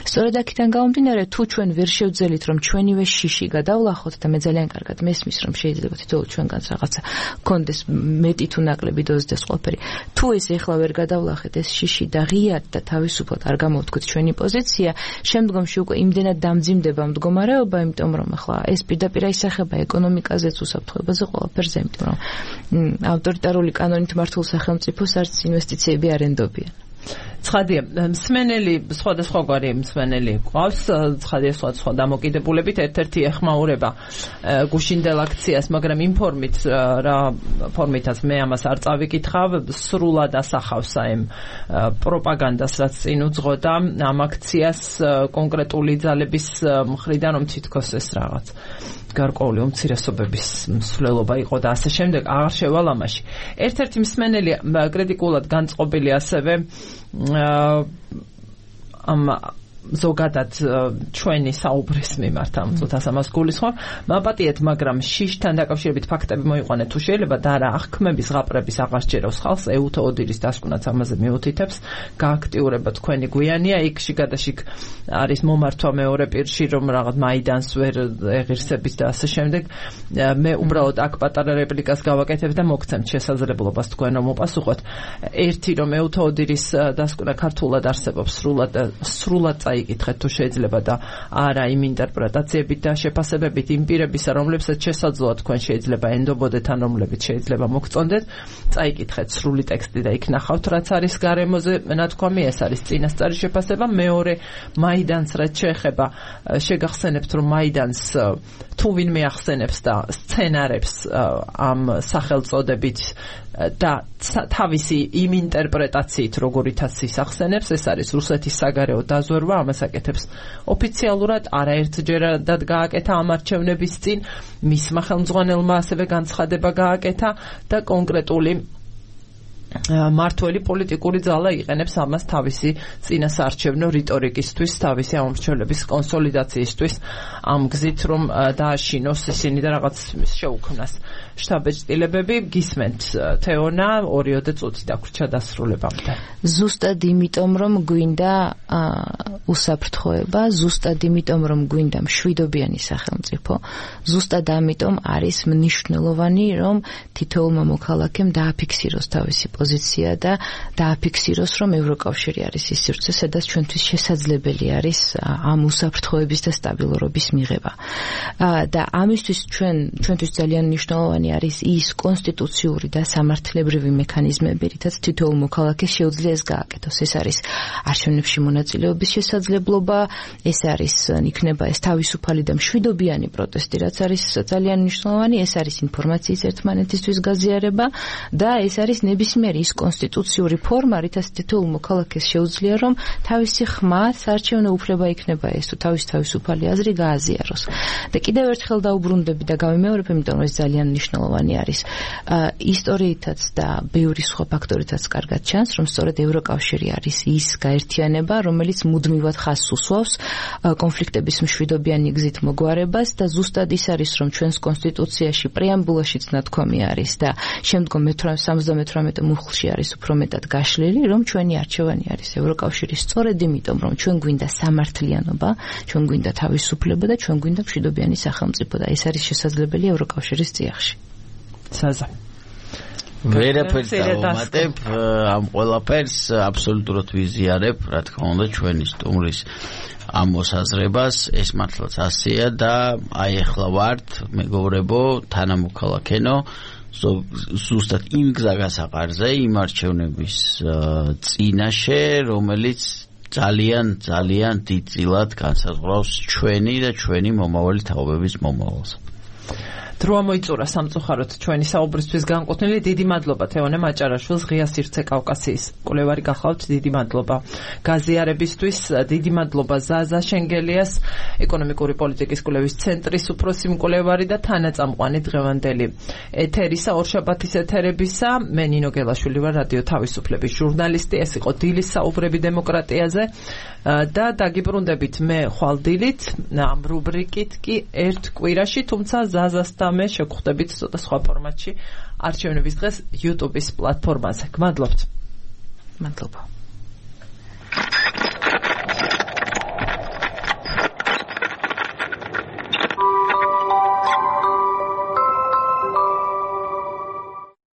სწორედ აქედან გამომდინარე, თუ ჩვენ ვერ შევძელით, რომ ჩვენივე შიში გადავლახოთ და მე ძალიან კარგად მესმის, რომ შეიძლება თითოეულ ჩვენგანს რაღაცა კონდეს მეტი თუ ნაკლები დოზდეს ყველაფერი. თუ ეს ეხლა ვერ გადავლახეთ ეს შიში და ღიად და თავისუფლად არ გამოვთქვით ჩვენი პოზიცია, შემდგომში უკვე იმდენად დამძიმდება მდგომარეობა, იმიტომ რომ ახლა ეს პირდაპირ აისახება ეკონომიკაზეც, უსაფრთხოებაზე, ყველაფერზე, იმიტომ რომ ავტორიტარული კანონით მართულ სახელმწიფოს არც ინვესტიციები არ ენდობიან. ცხადია, მსმენელი სხვადასხვაგვარი მსმენელი ყავს, ცხადია სხვა დამოკიდებულებით, ერთ-ერთი ეხმაურება გუშინდელ აქციას, მაგრამ იმ ფორმით, რა ფორმითაც მე ამას არ წავიკითხავ, სრულად ასახავს ამ პროპაგანდას, რაც წინ უძღოდა ამ აქციას კონკრეტული ძალების მხრიდან, რომ თითქოს ეს რაღაც გარკვეული უმცირესობების მსვლელობა იყო და ასე შემდეგ, აღარ შევალ ამაში. ერთ-ერთი მსმენელი კრიტიკულად განწყობილი ასევე ამ ზოგადად ჩვენი საუბრის მიმართ ამ წუთას ამას გულისხმობ. მაპატიეთ, მაგრამ შიშთან დაკავშირებით ფაქტები მოიყვანეთ თუ შეიძლება და რა აღქმების ზღაპრების აღარ სჯერავს ხალხს, ეუთო ოდირის დასკვნაც ამაზე მიუთითებს, გააქტიურება თქვენი გვიანია, იქ შიგადაშიგ არის მომართვა მეორე პირში, რომ რაღაც მაიდანს ვერ ეღირსებით და ასე შემდეგ. მე უბრალოდ აქ პატარა რეპლიკას გავაკეთებ და მოგცემთ შესაძლებლობას თქვენ რომ მოპასუხოთ. ერთი, რომ ეუთო ოდირის დასკვნა ქართულად არსებობს სრულად იკითხეთ თუ შეიძლება და არა იმ ინტერპრეტაციებით და შეფასებებით იმ პირებისა, რომლებსაც შესაძლოა თქვენ შეიძლება ენდობოდეთ ან რომლებიც შეიძლება მოგწონდეთ, წაიკითხეთ სრული ტექსტი და იქ ნახავთ რაც არის გარემოზე ნათქვამი, ეს არის წინასწარი შეფასება. მეორე, მაიდანს რაც შეეხება, შეგახსენებთ რომ მაიდანს თუ ვინმე ახსენებს და სცენარებს ამ სახელწოდებით და თავისი იმ ინტერპრეტაციით, როგორითაც ის ახსენებს, ეს არის რუსეთის საგარეო დაზვერვა, ამას აკეთებს ოფიციალურად, არაერთჯერადად გააკეთა ამ არჩევნების წინ, მისმა ხელმძღვანელმა ასევე განცხადება გააკეთა და კონკრეტული მართველი პოლიტიკური ძალა იყენებს ამას თავისი წინასაარჩევნო რიტორიკისთვის, თავისი ამორჩევლების კონსოლიდაციისთვის, ამ გზით რომ დააშინოს ისინი და რაღაც შეუქმნას შტაბ-ეჭდილებები. გისმენთ თეონა, 2 წუთი დაგვრჩა დასრულებამდე. ზუსტად იმიტომ რომ გვინდა უსაფრთხოება, ზუსტად იმიტომ რომ გვინდა მშვიდობიანი სახელმწიფო, ზუსტად ამიტომ არის მნიშვნელოვანი რომ თითოეულმა მოქალაქემ დააფიქსიროს თავისი პოზიცია და დააფიქსიროს რომ ევროკავშირი არის ის სივრცე, სადაც ჩვენთვის შესაძლებელი არის ამ უსაფრთხოების და სტაბილურობის მიღება. და ამისთვის ჩვენთვის ძალიან მნიშვნელოვანი არის ის კონსტიტუციური და სამართლებრივი მექანიზმები, რითაც თითოეულ მოქალაქეს შეუძლია ეს გააკეთოს. ეს არის არჩევნებში მონაწილეობის შესაძლებლობა, ეს არის იქნება ეს თავისუფალი და მშვიდობიანი პროტესტი, რაც არის ძალიან მნიშვნელოვანი, ეს არის ინფორმაციის ერთმანეთისთვის გაზიარება და ეს არის ნებისმიერი ის კონსტიტუციური ფორმა, რითაც თითოეულ მოქალაქეს შეუძლია რომ თავისი ხმა საარჩევნო უფლება იქნება ეს თუ თავისუფალი აზრი გააზიაროს. და კიდევ ერთხელ დაუბრუნდები და გავიმეორებ, იმიტომ რომ ეს ძალიან მნიშვნელოვანი არის. ისტორიითაც და ბევრი სხვა ფაქტორითაც კარგად ჩანს, რომ სწორედ ევროკავშირი არის ის გაერთიანება, რომელიც მუდმივად ხაზს უსვავს კონფლიქტების მშვიდობიანი გზით მოგვარებას და ზუსტად ის არის, რომ ჩვენს კონსტიტუციაში პრეამბულაშიც ნათქვამი არის და შემდგომ 78 მუხლში არის უფრო მეტად გაშლილი, რომ ჩვენი არჩევანი არის ევროკავშირის სწორედ იმიტომ, რომ ჩვენ გვინდა სამართლიანობა, ჩვენ გვინდა თავისუფლება და ჩვენ გვინდა მშვიდობიანი სახელმწიფო და ეს არის შესაძლებელი ევროკავშირის წიაღში. საზა ვერაფერს დავუმატებ ამ ყველაფერს აბსოლუტურად ვიზიარებ, რა თქმა უნდა, ჩვენი სტუმრის ამ მოსაზრებას, ეს მართლაც ასეა და აი ახლა ვართ, მეგობრებო, თანამოქალაქენო, ზუსტად იმ გზაგასაყარზე, იმ არჩევნების წინაშე, რომელიც ძალიან დიდწილად განსაზღვრავს ჩვენი და ჩვენი მომავალი თაობების მომავალს. დროა მოიწურა სამწუხაროდ ჩვენი საუბრისთვის განკუთვნილი. დიდი მადლობა თეონე მაჭარაშვილს, ღია სივრცე კავკასიის კვლევარი გახლავთ. დიდი მადლობა გაზიარებისთვის, დიდი მადლობა ზაზა შენგელიას, ეკონომიკური პოლიტიკის კვლევის ცენტრის უფროსი მკვლევარი და თანაწამყვანი დღევანდელი ეთერისა, ორშაბათის ეთერებისა. მე ნინო გელაშვილი ვარ, რადიო თავისუფლების ჟურნალისტი. ეს იყო დილის საუბრები დემოკრატიაზე და დაგიბრუნდებით მე ხვალდილით ამ რუბრიკით კი ერთ კვირაში, თუმცა ზაზასთან მე შეგხვდებით ცოტა სხვა ფორმატში არჩევნების დღეს YouTube-ის პლატფორმაზე. გმადლობთ. მადლობა.